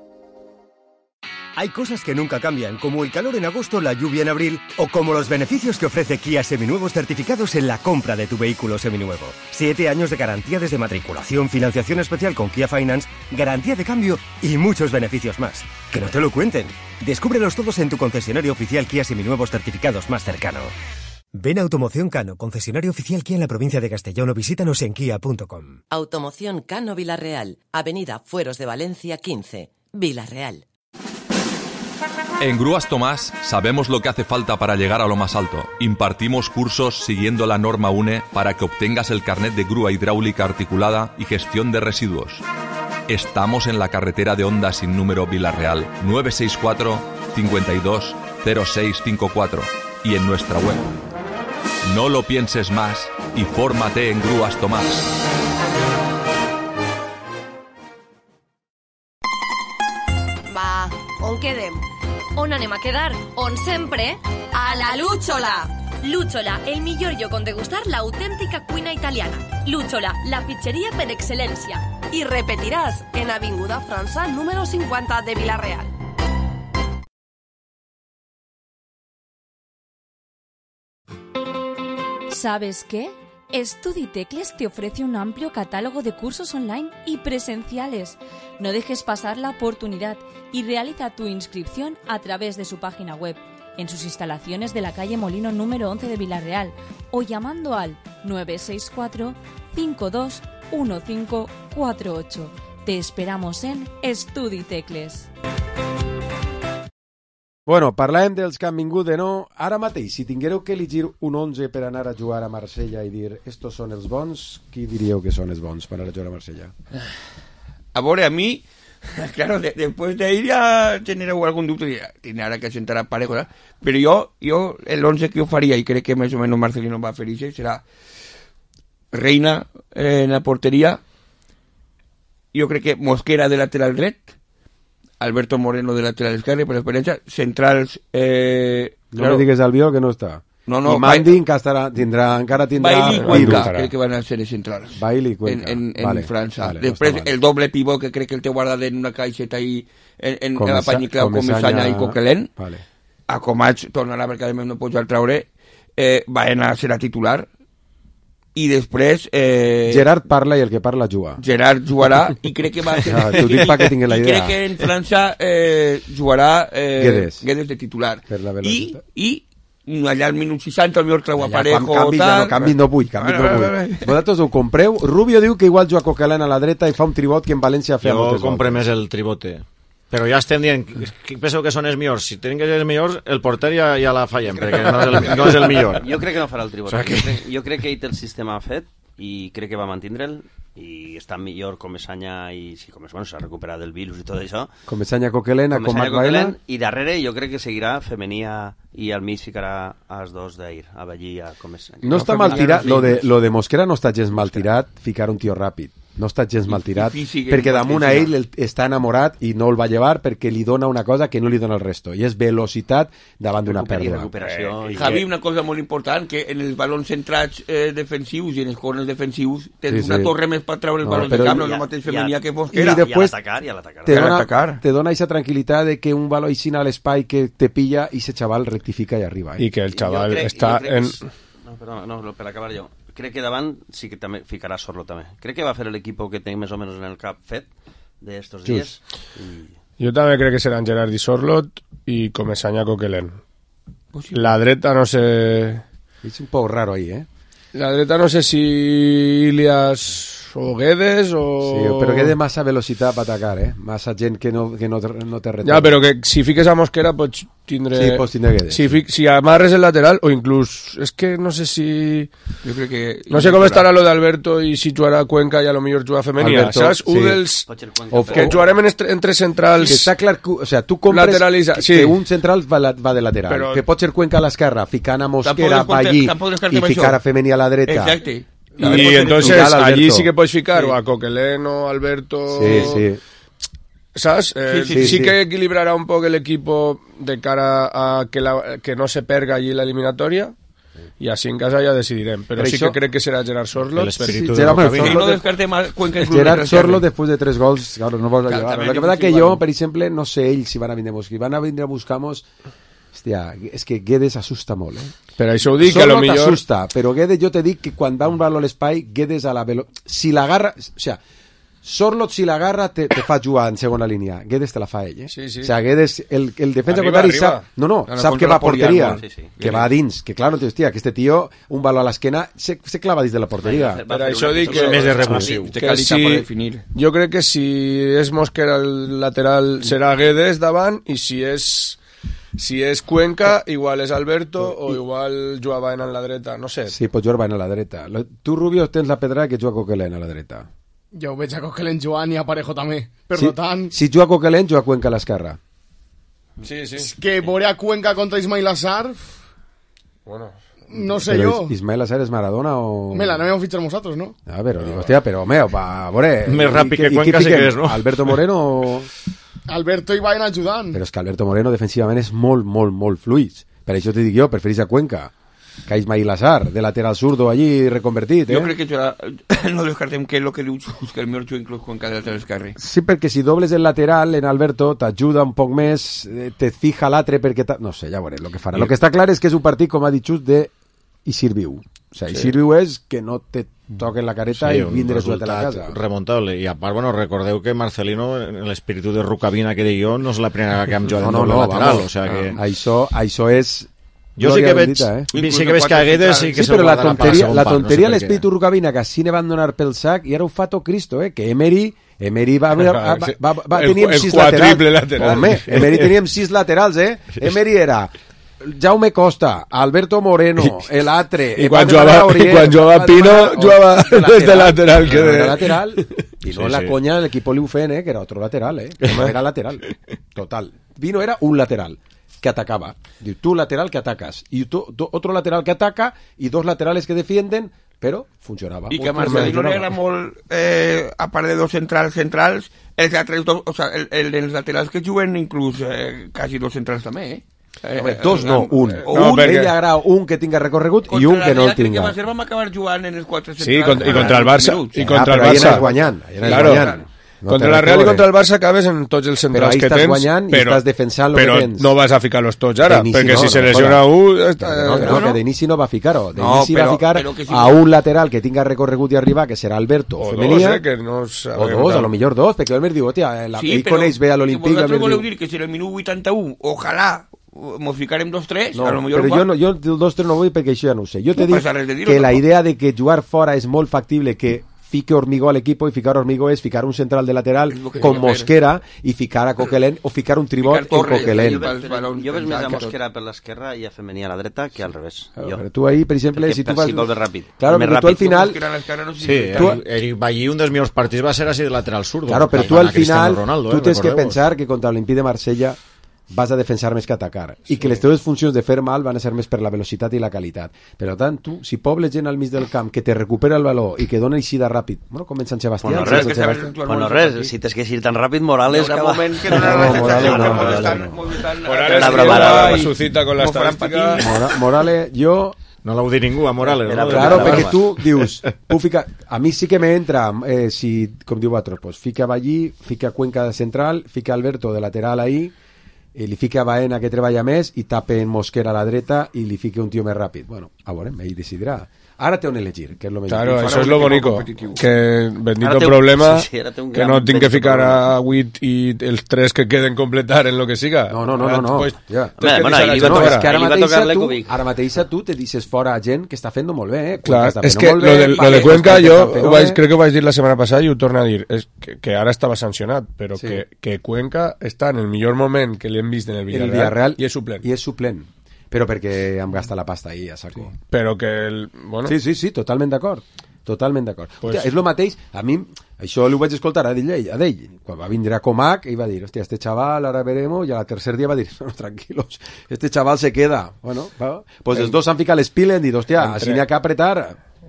Hay cosas que nunca cambian, como el calor en agosto, la lluvia en abril, o como los beneficios que ofrece Kia Seminuevos certificados en la compra de tu vehículo seminuevo. Siete años de garantía desde matriculación, financiación especial con Kia Finance, garantía de cambio y muchos beneficios más. Que no te lo cuenten. Descúbrelos todos en tu concesionario oficial Kia Seminuevos certificados más cercano. Ven a Automoción Cano, concesionario oficial Kia en la provincia de Castellón, o visítanos en kia punto com. Automoción Cano Villarreal, Avenida Fueros de Valencia quince, Villarreal. En Grúas Tomás sabemos lo que hace falta para llegar a lo más alto. Impartimos cursos siguiendo la norma U N E para que obtengas el carnet de grúa hidráulica articulada y gestión de residuos. Estamos en la carretera de Honda sin número Villarreal, nueve seis cuatro, cinco dos, cero seis cinco cuatro, y en nuestra web. No lo pienses más y fórmate en Grúas Tomás. Va, on quedem? On anem a quedar? On sempre? A la Lúchola! Luchola, el millor lloc on degustar l'autèntica cuina italiana. Luchola, la pizzeria per excel·lència. Y repetirás en Avinguda França número cincuenta de Villarreal. ¿Sabes qué? StudiTecles te ofrece un amplio catálogo de cursos online y presenciales. No dejes pasar la oportunidad y realiza tu inscripción a través de su página web, en sus instalaciones de la calle Molino número once de Villarreal o llamando al nueve seis cuatro, cinco dos uno cinco cuatro ocho. Te esperamos en StudiTecles. Bueno, parlem dels que han vingut de no. Ara mateix, si tinguéreu que elegir un onze per anar a jugar a Marsella i dir estos són els bons, qui diríeu que són els bons per anar a jugar a Marsella? A veure, a mi, claro, de, después de ir ya genereu algún dubte, tiene ara que sentar a parejo, ¿verdad? Pero yo, yo el once que yo faría, y creo que más o menos Marcelino va a feliz, será Reina eh, en la portería, yo creo que Mosquera de lateral red, Alberto Moreno de lateral esquerre, per experiencia, centrals... Eh, no claro. me digues Albiol que no està. No, no, I Mandi encara tindrà, encara tindrà... Bailey y Cuenca, creo que van a ser centrals. Bailey y Cuenca. En, en, en vale, França. Vale, Després, no el doble pivot que crec que el té guardat en una caixeta ahí en, en, Comesa, en la Panyiclau, Comesanya i Coquelin. Vale. A Comats tornarà perquè a més no pot jugar al traure. Eh, Baena serà titular. I després... Eh, Gerard parla i el que parla juga. Gerard jugarà i crec que va... Ja, t'ho dic perquè tingués la idea. I crec que en França eh, jugarà eh, Guedes. Guedes de titular. Per la I, i allà al minut seixanta el millor treu a Parejo canvi, tal... no, canvi no vull, canvi no vull. Vosaltres ho compreu? Rubio diu que igual juga Coquelin a la dreta i fa un tribot que en València feia jo moltes compre voltes. més el tribote. Però ja estem dient, qui penseu que són els millors? Si tenen que ser els millors, el porter ja, ja la fallem, perquè no és el, no és el millor. Jo crec que no farà el tribot. O sea que... jo, crec, jo crec que ell té el sistema fet i crec que va mantindre'l i està millor Comesanya i si Comes, bueno, s'ha recuperat del virus i tot això. Comesanya Coquelin, a Comac Baila. I darrere jo crec que seguirà Femenia i al mig ficarà als dos d'ahir, a Ballí i a Comesanya. No està mal tirat, lo de, lo de Mosquera no està gens mal tirat, ficar un tio ràpid. No està gens mal tirat, perquè damunt a ell està enamorat i no el va llevar perquè li dona una cosa que no li dona el resto, i és velocitat davant d'una pèrdua. Eh, Javi, una cosa molt important, que en els balons centrats eh, defensius i en els corners defensius tens sí, una sí. torre més per treure els no, balons de camp, no és el mateix Femenia que Mosquera. I després i a l'atacar, i a l'atacar. Te, dona, te dona aquesta tranquil·litat de que un baló així a l'espai que te pilla i ese xaval rectifica i arriba. Eh? I que el xaval crec, està en... No, perdona, no, per acabar jo. Crec que davant sí que també ficarà Sorlo també. Crec que va fer l'equip que té més o menys en el cap fet d'estos dies. I... Jo també crec que seran Gerard i Sorlot i Comesanya Coquelin. La dreta no sé... És un poc raro ahí, eh? La dreta no sé si Ilias o Guedes o... Sí, però Guedes massa velocitat per atacar, eh? Massa gent que no, que no, no té retorn. Ja, però que si fiques a Mosquera pots tindre... Sí, pots tindre Guedes. Si, fi... si amarres el lateral, o inclús... És que no sé si... Jo crec que... No sé com estarà lo d'Alberto i si jugarà Cuenca i a lo millor jugar Femenia. Alberto, saps? Sí. Un dels... O, que jugarem en estre, entre centrals... Que està clar que... O sea, tu compres lateralitza, que, sí. que un central va, la, va de lateral. Però... Que pot ser Cuenca a l'esquerra, ficant a Mosquera pa allí i ficar a Femenia a la dreta. Exacte. Y, y entonces allí sí que puedes ficar sí. o a Coquelin o Alberto. Sí, sí. ¿Sabes? Eh, sí, sí, sí, sí que equilibrará un poco el equipo de cara a que, la, que no se perga allí la eliminatoria. Y así en casa ya decidirem. Pero, pero sí això... que crec que será Gerard Sorlot. Sí, sí, Gerard Sorlot, no descarte mal Cuenca. Gerard Sorlot después de tres gols, claro, no vols llevar. Lo que pasa que jo, per exemple, no sé ells si van a vindre a buscar. Van a vindre a buscar-nos... Hòstia, és que Guedes assusta molt, eh? Però això ho dic, que a lo millor... t'assusta, però Guedes jo te dic que quan va un valor a l'espai, Guedes a la velo... Si l'agarra... O sea, Sorlot si l'agarra te, te fa jugar en segona línia. Guedes te la fa ell, eh? Sí, sí. O sea, Guedes, el, el defensa arriba, contrari arriba. sap... No, no, no sap que va a porteria, sí, sí. que va a dins. Que claro, hòstia, que este tio, un valor a l'esquena, se, se clava dins de la porteria. Per això dic que... Més de revulsiu. Que si... Jo crec que si és Mosquera el lateral serà Guedes davant i si és... Si és Cuenca, igual és Alberto o igual juga Baena en la dreta, no sé. Sí, pot jugar Baena a la dreta. Tu, Rubio, tens la pedra que juga Coquelin a la dreta. Jo ho veig a Coquelin jugant i a Parejo també. Per si, tant... Si juga Coquelin, juga Cuenca a l'esquerra. Sí, sí. És que veure a Cuenca contra Ismail Assar... Bueno... No sé però jo. Ismail Assar és Maradona o... Me la no hem fitxat nosaltres, ¿no? A veure, digo, hòstia, però, home, pa, veure... Més ràpid que Cuenca sí que és, no? Alberto Moreno o... Alberto i Baena ajudant. Però és que Alberto Moreno defensivament és molt, molt, molt fluid. Per això t'he dit jo, preferís a Cuenca. Caix Mailazar, de lateral zurdo allí reconvertit, eh? Jo crec que serà... no descartem que és el que diu Xus, que el millor juga inclús Cuenca de lateral esquerre. Sí, perquè si dobles el lateral en Alberto t'ajuda un poc més, te fija l'altre perquè... No sé, ja veurem el que farà. El que està clar és que és un partit, com ha dit Xus, de Isir viu. O sigui, Isir viu és que no te toquen la careta sí, i vindre suelta a la casa. Remontable. I a part, bueno, recordeu que Marcelino, en l'espíritu de Rucabina que deia jo, no és la primera que hem jugat no, no, en doble no, lateral. Vamos, o sea que... això, això és... Jo sí que veig, bendita, eh? sí que veig que Aguedes sí que sí, se'l però la guardarà tonteria, per la segon tonteria part, no sé l'espíritu Rucabina que així ne van donar pel sac i ara ho fa tot Cristo, eh? Que Emery Emery va, va, va, va, va el, teníem el sis laterals. laterals. Home, Emery teníem sis laterals, eh? Emery era Jaume Costa, Alberto Moreno, el Atre... I quan jugava, Orier, i quan jugava Pino, jugava des de lateral. Que de lateral. I no sí, la sí. conya del equipo Liufen, eh? Que era otro lateral, eh? Era lateral. Total. Pino era un lateral que atacaba. Diu, tú lateral que atacas. Y tú, tú, otro lateral que ataca y dos laterales que defienden, pero funcionaba. I que a Marcelino no era molt, eh, a part de dos centrals centrals, els altres dos, o sea, el, el dels laterals que juguen inclús eh, quasi dos centrals també, eh? Eh, Home, dos no, un. Eh, no, un perquè... ell agrada un que tinga recorregut i un que no el tinga. Contra la vam acabar jugant en els quatre centrals. Sí, contra, i contra el Barça. I contra ah, el Barça. Ahí guanyant. Claro. guanyant. No contra la Real i contra el Barça acabes en tots els centrals que tens, guanyant i però, estàs defensant però que tens. no vas a ficar-los tots ara, perquè no, si no, se lesiona no, un... Està... No, no, no, que d'inici no va ficar-ho. D'inici no, va ficar si a un lateral que tinga recorregut i arribar, que serà Alberto o Femenia. Dos, eh, que no o dos, a lo millor dos, perquè Elmer diu, hòstia, la, sí, ell coneix bé a l'Olimpíc. Vosaltres voleu dir que si en el minut vuitanta-u, ojalà mos ficarem dos tres, no, a lo millor... Però jo, no, jo el dos tres no vull perquè això ja no ho sé. Jo te no dic que la idea de que jugar fora és molt factible que fique Hormigó al equipo, y ficar Hormigó es ficar un central de lateral con Mosquera y ficar a Coquelin o ficar un tribot en Coquelin. Jo veig més a Mosquera per l'esquerra i a Femení a la dreta que al revés. Claro, pero tú ahí, per exemple, si tú vas... Gol de ràpid. Claro, pero tú al final... Sí, el, el Ballí, un dels millors partits va ser així de lateral zurdo. Claro, pero tú al final, tú tienes que pensar que contra l'Olympique de Marsella vas a defensar més que atacar sí. I que les teves funcions de fer mal van a ser més per la velocitat i la qualitat. Per tant, tu, si pobles gent al mig del camp que te recupera el baló i que dona eixida ràpid, bueno, com en Sant Sebastià... Bueno, res, que Sebastià. Bueno, res si tens que eixir tan ràpid, Morales... Hi haurà moment que no, no, Morales no, Morales Morales su cita con la estadística... Morales, jo... No l'ha dit ningú, a Morales. No? Claro, perquè tu dius, tu fica, a mi sí que me entra, eh, si, com diu Batros, pues, fica Ballí, fica Cuenca de central, fica Alberto de lateral ahí, i li fica Baena que treballa més i tape en Mosquera a la dreta i li fica un tio més ràpid. Bueno, a veure, ell decidirà. Ara té on elegir, que és lo millor. Claro, això és lo bonico, que bendito problema sí, sí, que no tinc que ficar a vuit i els tres que queden completar en lo que siga. No, no, no, no, no. Pues, ja. Bé, bueno, ahí va tocar, que ara ahí va tocar tu, ara mateixa tu te dices fora a gent que està fent molt bé, eh? Clar, és que lo de, lo de Cuenca jo vaig, crec que ho vaig dir la setmana passada i ho torno a dir, és que, que ara estava sancionat, però sí. que, que Cuenca està en el millor moment que li hem vist en el Villarreal, el Villarreal i és suplent. I és suplent. Però perquè em gasta la pasta ahí a saco. Sí. Però que el... Bueno. Sí, sí, sí, totalment d'acord. Totalment d'acord. Pues... Hòstia, és el mateix, a mi, això ho vaig escoltar a d'ell, a d'ell. Quan va vindre a Comac, i va dir, hòstia, este chaval, ahora veremos, i al tercer dia va dir, no, tranquilos, este chaval se queda. Bueno, va. Pues els dos han ficat l'espile, han dit, hòstia, Entre... així n'hi ha que apretar.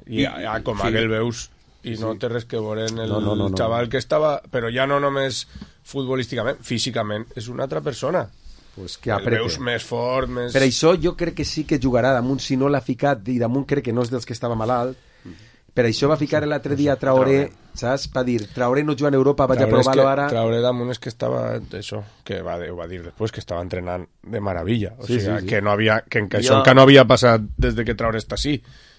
I a, a Comac sí. el veus, i no sí. té res que veure en el no, no, no, no. xaval que estava... Però ja no només futbolísticament, físicament, és una altra persona. Pues que aprete. El veus més fort, més... Per això jo crec que sí que jugarà damunt, si no l'ha ficat, i damunt crec que no és dels que estava malalt, per això va ficar l'altre dia Traoré, saps? Va dir, Traoré no juga en Europa, vaig a provar-lo ara... Traoré damunt és que estava, això, que va, ho va dir després, que estava entrenant de maravilla, o sí, sigui, sí, sí. que no havia, que, que això jo... que no havia passat des de que Traoré està així,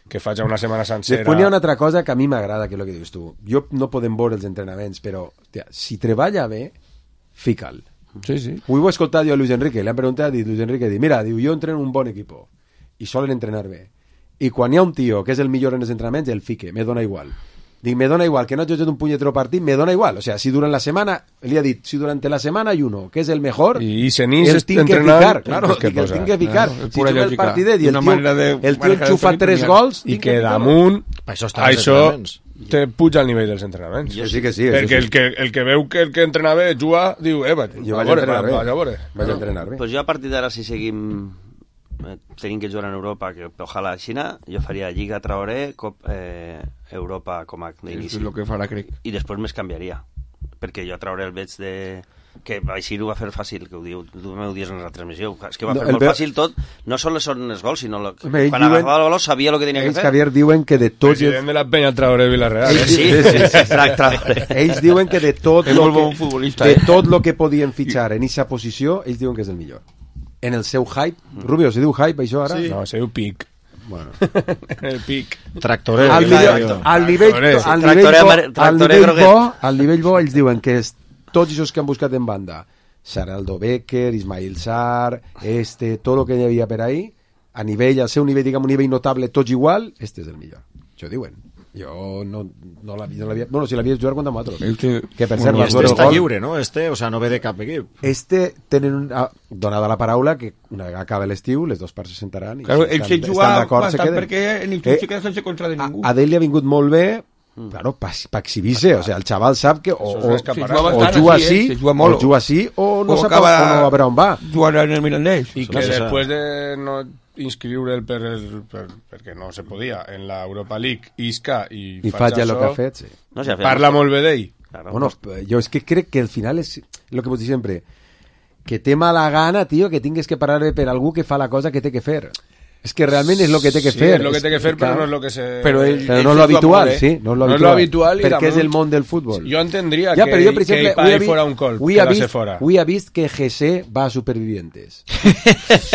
que fa ja una setmana sencera... Després hi ha una altra cosa que a mi m'agrada, que és el que dius tu. Jo no podem veure els entrenaments, però, hòstia, si treballa bé, fica'l. Sí, sí. Ho he escoltat jo a Luis Enrique, le han preguntat, i Luis Enrique diu, mira, diu, jo entreno un bon equipo i solen entrenar bé, i quan hi ha un tio que és el millor en els entrenaments, el fique, me dona igual. Dic, me dona igual, que no hagi hecho un puñetero partit, me dona igual. O sea, si durant la semana, li ha dit, si durante la semana hay uno que és el mejor, i Senís el tinc que ficar, claro, que el tinc que ficar. No, si juga el partidet i el tio, de, el tio enxufa tres gols, i que damunt, això, això te puja al nivell dels entrenaments. Jo sí que sí. Perquè sí. el, que, el que veu que el que entrena bé juga, diu, eh, vaig, jo vaig, vaig a entrenar bé. Vaig a veure. Vaig a entrenar bé. Pues jo a partir d'ara, si seguim eh, tenim que jugar en Europa, que ojalà a Xina, jo faria Lliga Traoré, Cop, eh, Europa Comac d'inici. És el que farà, crec. I després més canviaria, perquè jo a Traoré el veig de que així ho va fer fàcil, que ho diu, tu m'ho dius en la transmissió, és que va No, fer el molt ve- fàcil tot, no sols són els gols, sinó lo, Home, ells quan diuen- agafava el baló sabia el que tenia que Ells, fer. Javier, diuen que de tots... President de la penya Traoré Villarreal. Ells, Eh? Sí, sí, sí, sí. Tra- Traoré. Ells diuen que de tot És lo molt bon que, futbolista, de eh? tot lo que podien fitxar en aquesta posició, ells diuen que és el millor. En el seu hype. Rubio, se diu hype això ara? Sí. No, se diu pic. Bueno. El pic. Tractoré. Al nivell, al nivell, al nivell, bo, al nivell bo, al nivell bo, ells diuen que és, tots els que han buscat en banda, Saraldo Becker, Ismail Sarr, este, tot el que hi havia per ahí, a nivell, al seu nivell, diguem, un nivell notable, tots igual, este és el millor. Això diuen. Jo no, no l'havia... No l'havia- bueno, si l'havia jugat contra nosaltres. Este, que per Bueno, cert, i va este veure el està gol. lliure, no? Este, o sea, no ve de cap equip. Este tenen un, ah, donada la paraula que una vegada acaba l'estiu les dues parts se sentaran i Claro, si ell se estan, juga estan d'acord se bastant queden. perquè en el club se queda sense contra de ningú. Adeli ha vingut molt bé, claro, pa, pa exhibir-se, o sea, el xaval sap que o, Això és o, un escaparat. o, Se juga o bastant juga així, així, eh? Se juga molt. o juga així, o no O sap acaba o no a veure on va. Jugant en el Mirandés. I que No se després de no inscriure'l per, el- per, perquè no se podia en la Europa League, isca i, I faig el que ha fet, sí. No, si ha fet- Parla molt bé d'ell. Claro, Bueno, yo es que creo que al final es lo que vos dic sempre, que té mala gana, tío, que tingues que parar per algú que fa la cosa que té que fer. És que realment és el que té que Sí, fer. és lo que té que fer, però clar. no és lo que se... Però, ell, però ell no és se lo juga habitual, molt, eh? sí, no és lo No és habitual. lo habitual i perquè damunt- és el món del futbol. Jo entendria Ja, que, però jo, per exemple, que avui he ell vist- fora un col, avui he quedar-se vist, fora. avui he vist que G C va a Supervivientes.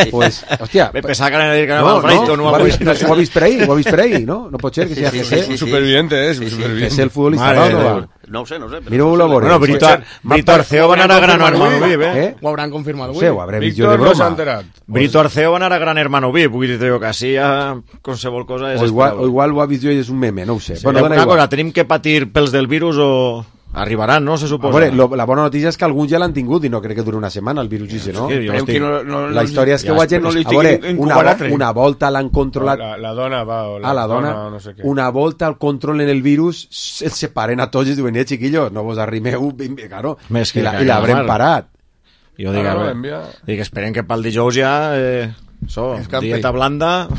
Pues, hòstia... Me pensava que anava a dir que no, anava al Brighton, no, no, ho, ha al vist, Brighton. ho ha vist per ahí, ho ha vist per ahí, no? No pot ser que Sí, sigui sí, G sí, C. sí, sí. Superviviente, és, G superviviente. C el futbolista, Mare va o de no Déu. va? No ho sé, no ho sé. però Mireu-ho, no la sé. veure. Bueno, Brito, Brito Arceo va anar a Gran Hermano V I P, eh? Ho hauran confirmat No avui. sé, ho hauré vist jo de Víctor no s'ha broma. enterat. Brito Arceo va anar a Gran Hermano V I P, vull dir que així ja qualsevol cosa és O igual, esperable. o igual ho ha vist jo i és un meme, no ho sé. Sí, bueno, dona una igual. cosa, tenim que patir pels del virus o arribaran, no? Se A suposa. veure, lo, la bona notícia és que alguns ja l'han tingut i no crec que duri una setmana el virus ese, no? Sí, jo Esperem estic... que no, no, La història és que ja ho hagin... no li a veure, estiguin una, incubant vo- altre. una volta l'han controlat... La, la dona va, o la, a la dona, o no sé què. una volta el controlen el virus, els separen a tots i es diuen, eh, chiquillos, no vos arrimeu, claro, Més que i la- que i l'haurem normal. parat. Jo dic, Ah, a no, veure, envia. dic, esperen que pel dijous ja... Eh, so, Escampi. dieta blanda...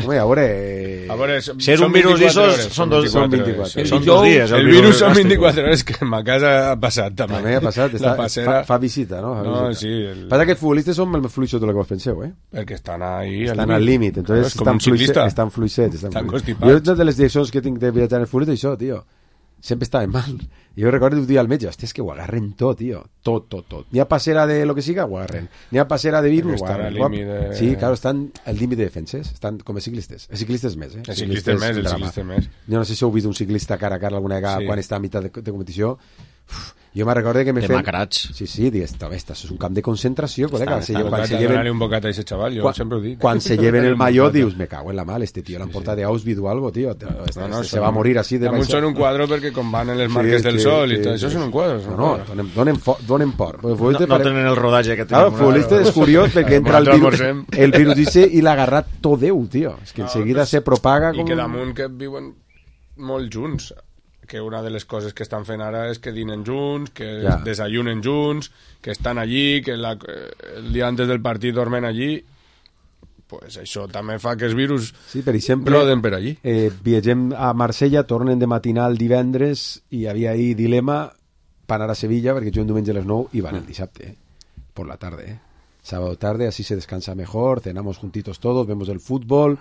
Home, a veure... A veure, Si és són un virus vint-i-quatre d'esos, hores, són dos- són vint-i-quatre vint-i-quatre. hores. Són El dos dijous, dies. El virus virus són gàstrico. vint-i-quatre hores, que a ma casa ha passat també. També ha passat, està, La passera... fa, fa visita, no? Fa No, visita. sí, el- Passa que els futbolistes són més fluixos de lo que vos penseu, eh? Perquè estan ahí Estan al límit, entonces és com estan, un ciclista. fluixets, estan fluixets. Estan Estan fluixets. constipats. Jo, una de les direccions que tinc de viatjar en el futbol és això, tio. Sempre estaven mal. I jo recordo un dia al metge, hòstia, és que ho agarren tot, tio. Tot, tot, tot. N'hi ha passera de lo que siga, ho agarren. N'hi ha passera de virus, ho Estan agarren. al límit de- Sí, claro, estan al límit de defenses. Estan com a ciclistes. Els ciclistes més, eh? Els ciclistes més, un els drama. ciclistes més. Jo no sé si heu vist un ciclista cara a cara alguna vegada Sí. quan està a mitjà de, de competició. Uf, jo me recordo que me fet... Demacrats. Sí, sí, digues, "Home, esto és un camp de concentració, col·lega. Està, Se està lleven- quan se tocat, lleven- donar-li un bocat a ese chaval, jo quan, sempre ho dic. quan se lleven el Un maillot bocata. dius, me cago en la mal, este tío l'han portat de Auschwitz o algo, tío. Este, No, no, este se són- va a morir así de damunt baixo. són un quadro perquè com van en les Sí, marques del sí, sol sí, i tot sí. això són un quadre. No, no, donen, donen, fo, donen por. No, no tenen el rodatge que Claro, tenim. el futbolista és curiós perquè entra el virus, el virus dice i l'ha agarrat tot Déu, tio. És que enseguida se propaga I com... que damunt que viuen molt junts, que una de les coses que estan fent ara és que dinen junts, que Ja. desayunen junts, que estan allí, que la, el dia antes del partit dormen allí, pues això també fa que els virus Sí, per exemple, roden per allí. eh, viatgem a Marsella, tornen de matinal divendres i hi havia ahir dilema per anar a Sevilla perquè juguen diumenge a les nou i van el dissabte, eh? Por la tarde, eh? Sábado tarde, así se descansa mejor, cenamos juntitos todos, vemos el fútbol,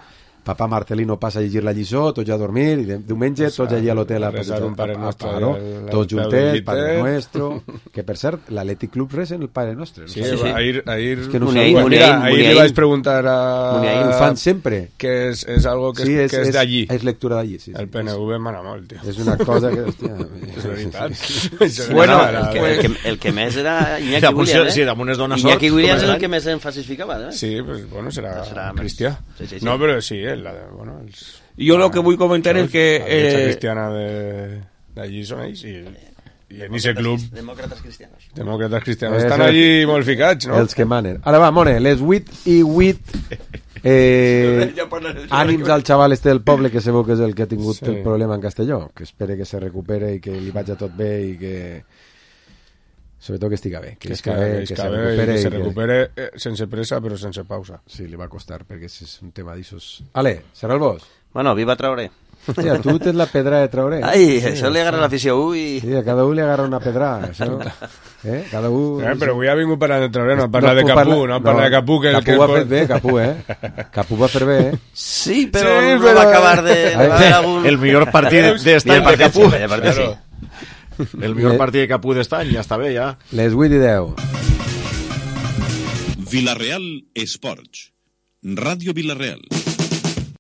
papá Marcelino pasa a llegir la lliçó, tots ja a dormir, i de, diumenge tots allí a l'hotel a, Resar un Pare a- a- Nostre a- no? al- al tots peu del juntets, llit, Padre eh? Nuestro, que per cert, l'Atlètic Club resa en el Padre Nostre. no Sí, sé. ahir, ahir, És que no Muniain, sabeu. Muniain, Mira, ahir li vaig preguntar a... Muniain, ho fan sempre. Que és, és algo que, Sí, és, és- que és és- d'allí. és lectura d'allí, sí, sí. El P N V mana molt, tio. És una cosa que, hòstia... És veritat. Sí, bueno, el, que, el, que, el que més era Iñaki Damunt, Williams, eh? sí, damunt es dona Iñaki sort, Williams és com el que més èmfasis ficava, eh? Sí, pues, bueno, serà, Serà més- cristià. Sí, sí, sí. No, però sí, eh, la, de- bueno, els, Jo lo que vull comentar és que... la derecha Eh, cristiana de- d'allí són ells i, i en ese club Demòcrates cristianos. demòcrates cristianos És estan el- allí molt ficats, no? Els que manen. Ara va, Mone, les vuit i vuit eh, ànims al xaval este del poble que sabeu que és el que ha tingut Sí. el problema en Castelló, que espere que se recupere i que li vagi tot bé i que sobretot que estiga bé, que, que, esca que, bé, que, que, que, se bé, recupere i que se i que- recupere eh, sense pressa però sense pausa. Sí, li va costar perquè és un tema d'issos. Ale, serà el vos? Bueno, viva Traoré. Hòstia, tu tens la pedra de traure. Ai, sí, això li agarra l'afició a un i... Sí, a cada un li agarra una pedra. Això. Eh? Cada un... Eh, però avui ha vingut parlant de traure, no ha parlat no, de Capú, parla... no ha parlat no, de Capú. Que, Capú que ho ha fet bé, Capú, eh? Capú va fer bé, eh? Sí, però sí, no però... va acabar de... de algun... El millor partit d'estany de Capú. Claro. El millor partit de Capú d'estany, ja està bé, ja. Les vuit i deu. Villarreal Esports. Ràdio Villarreal.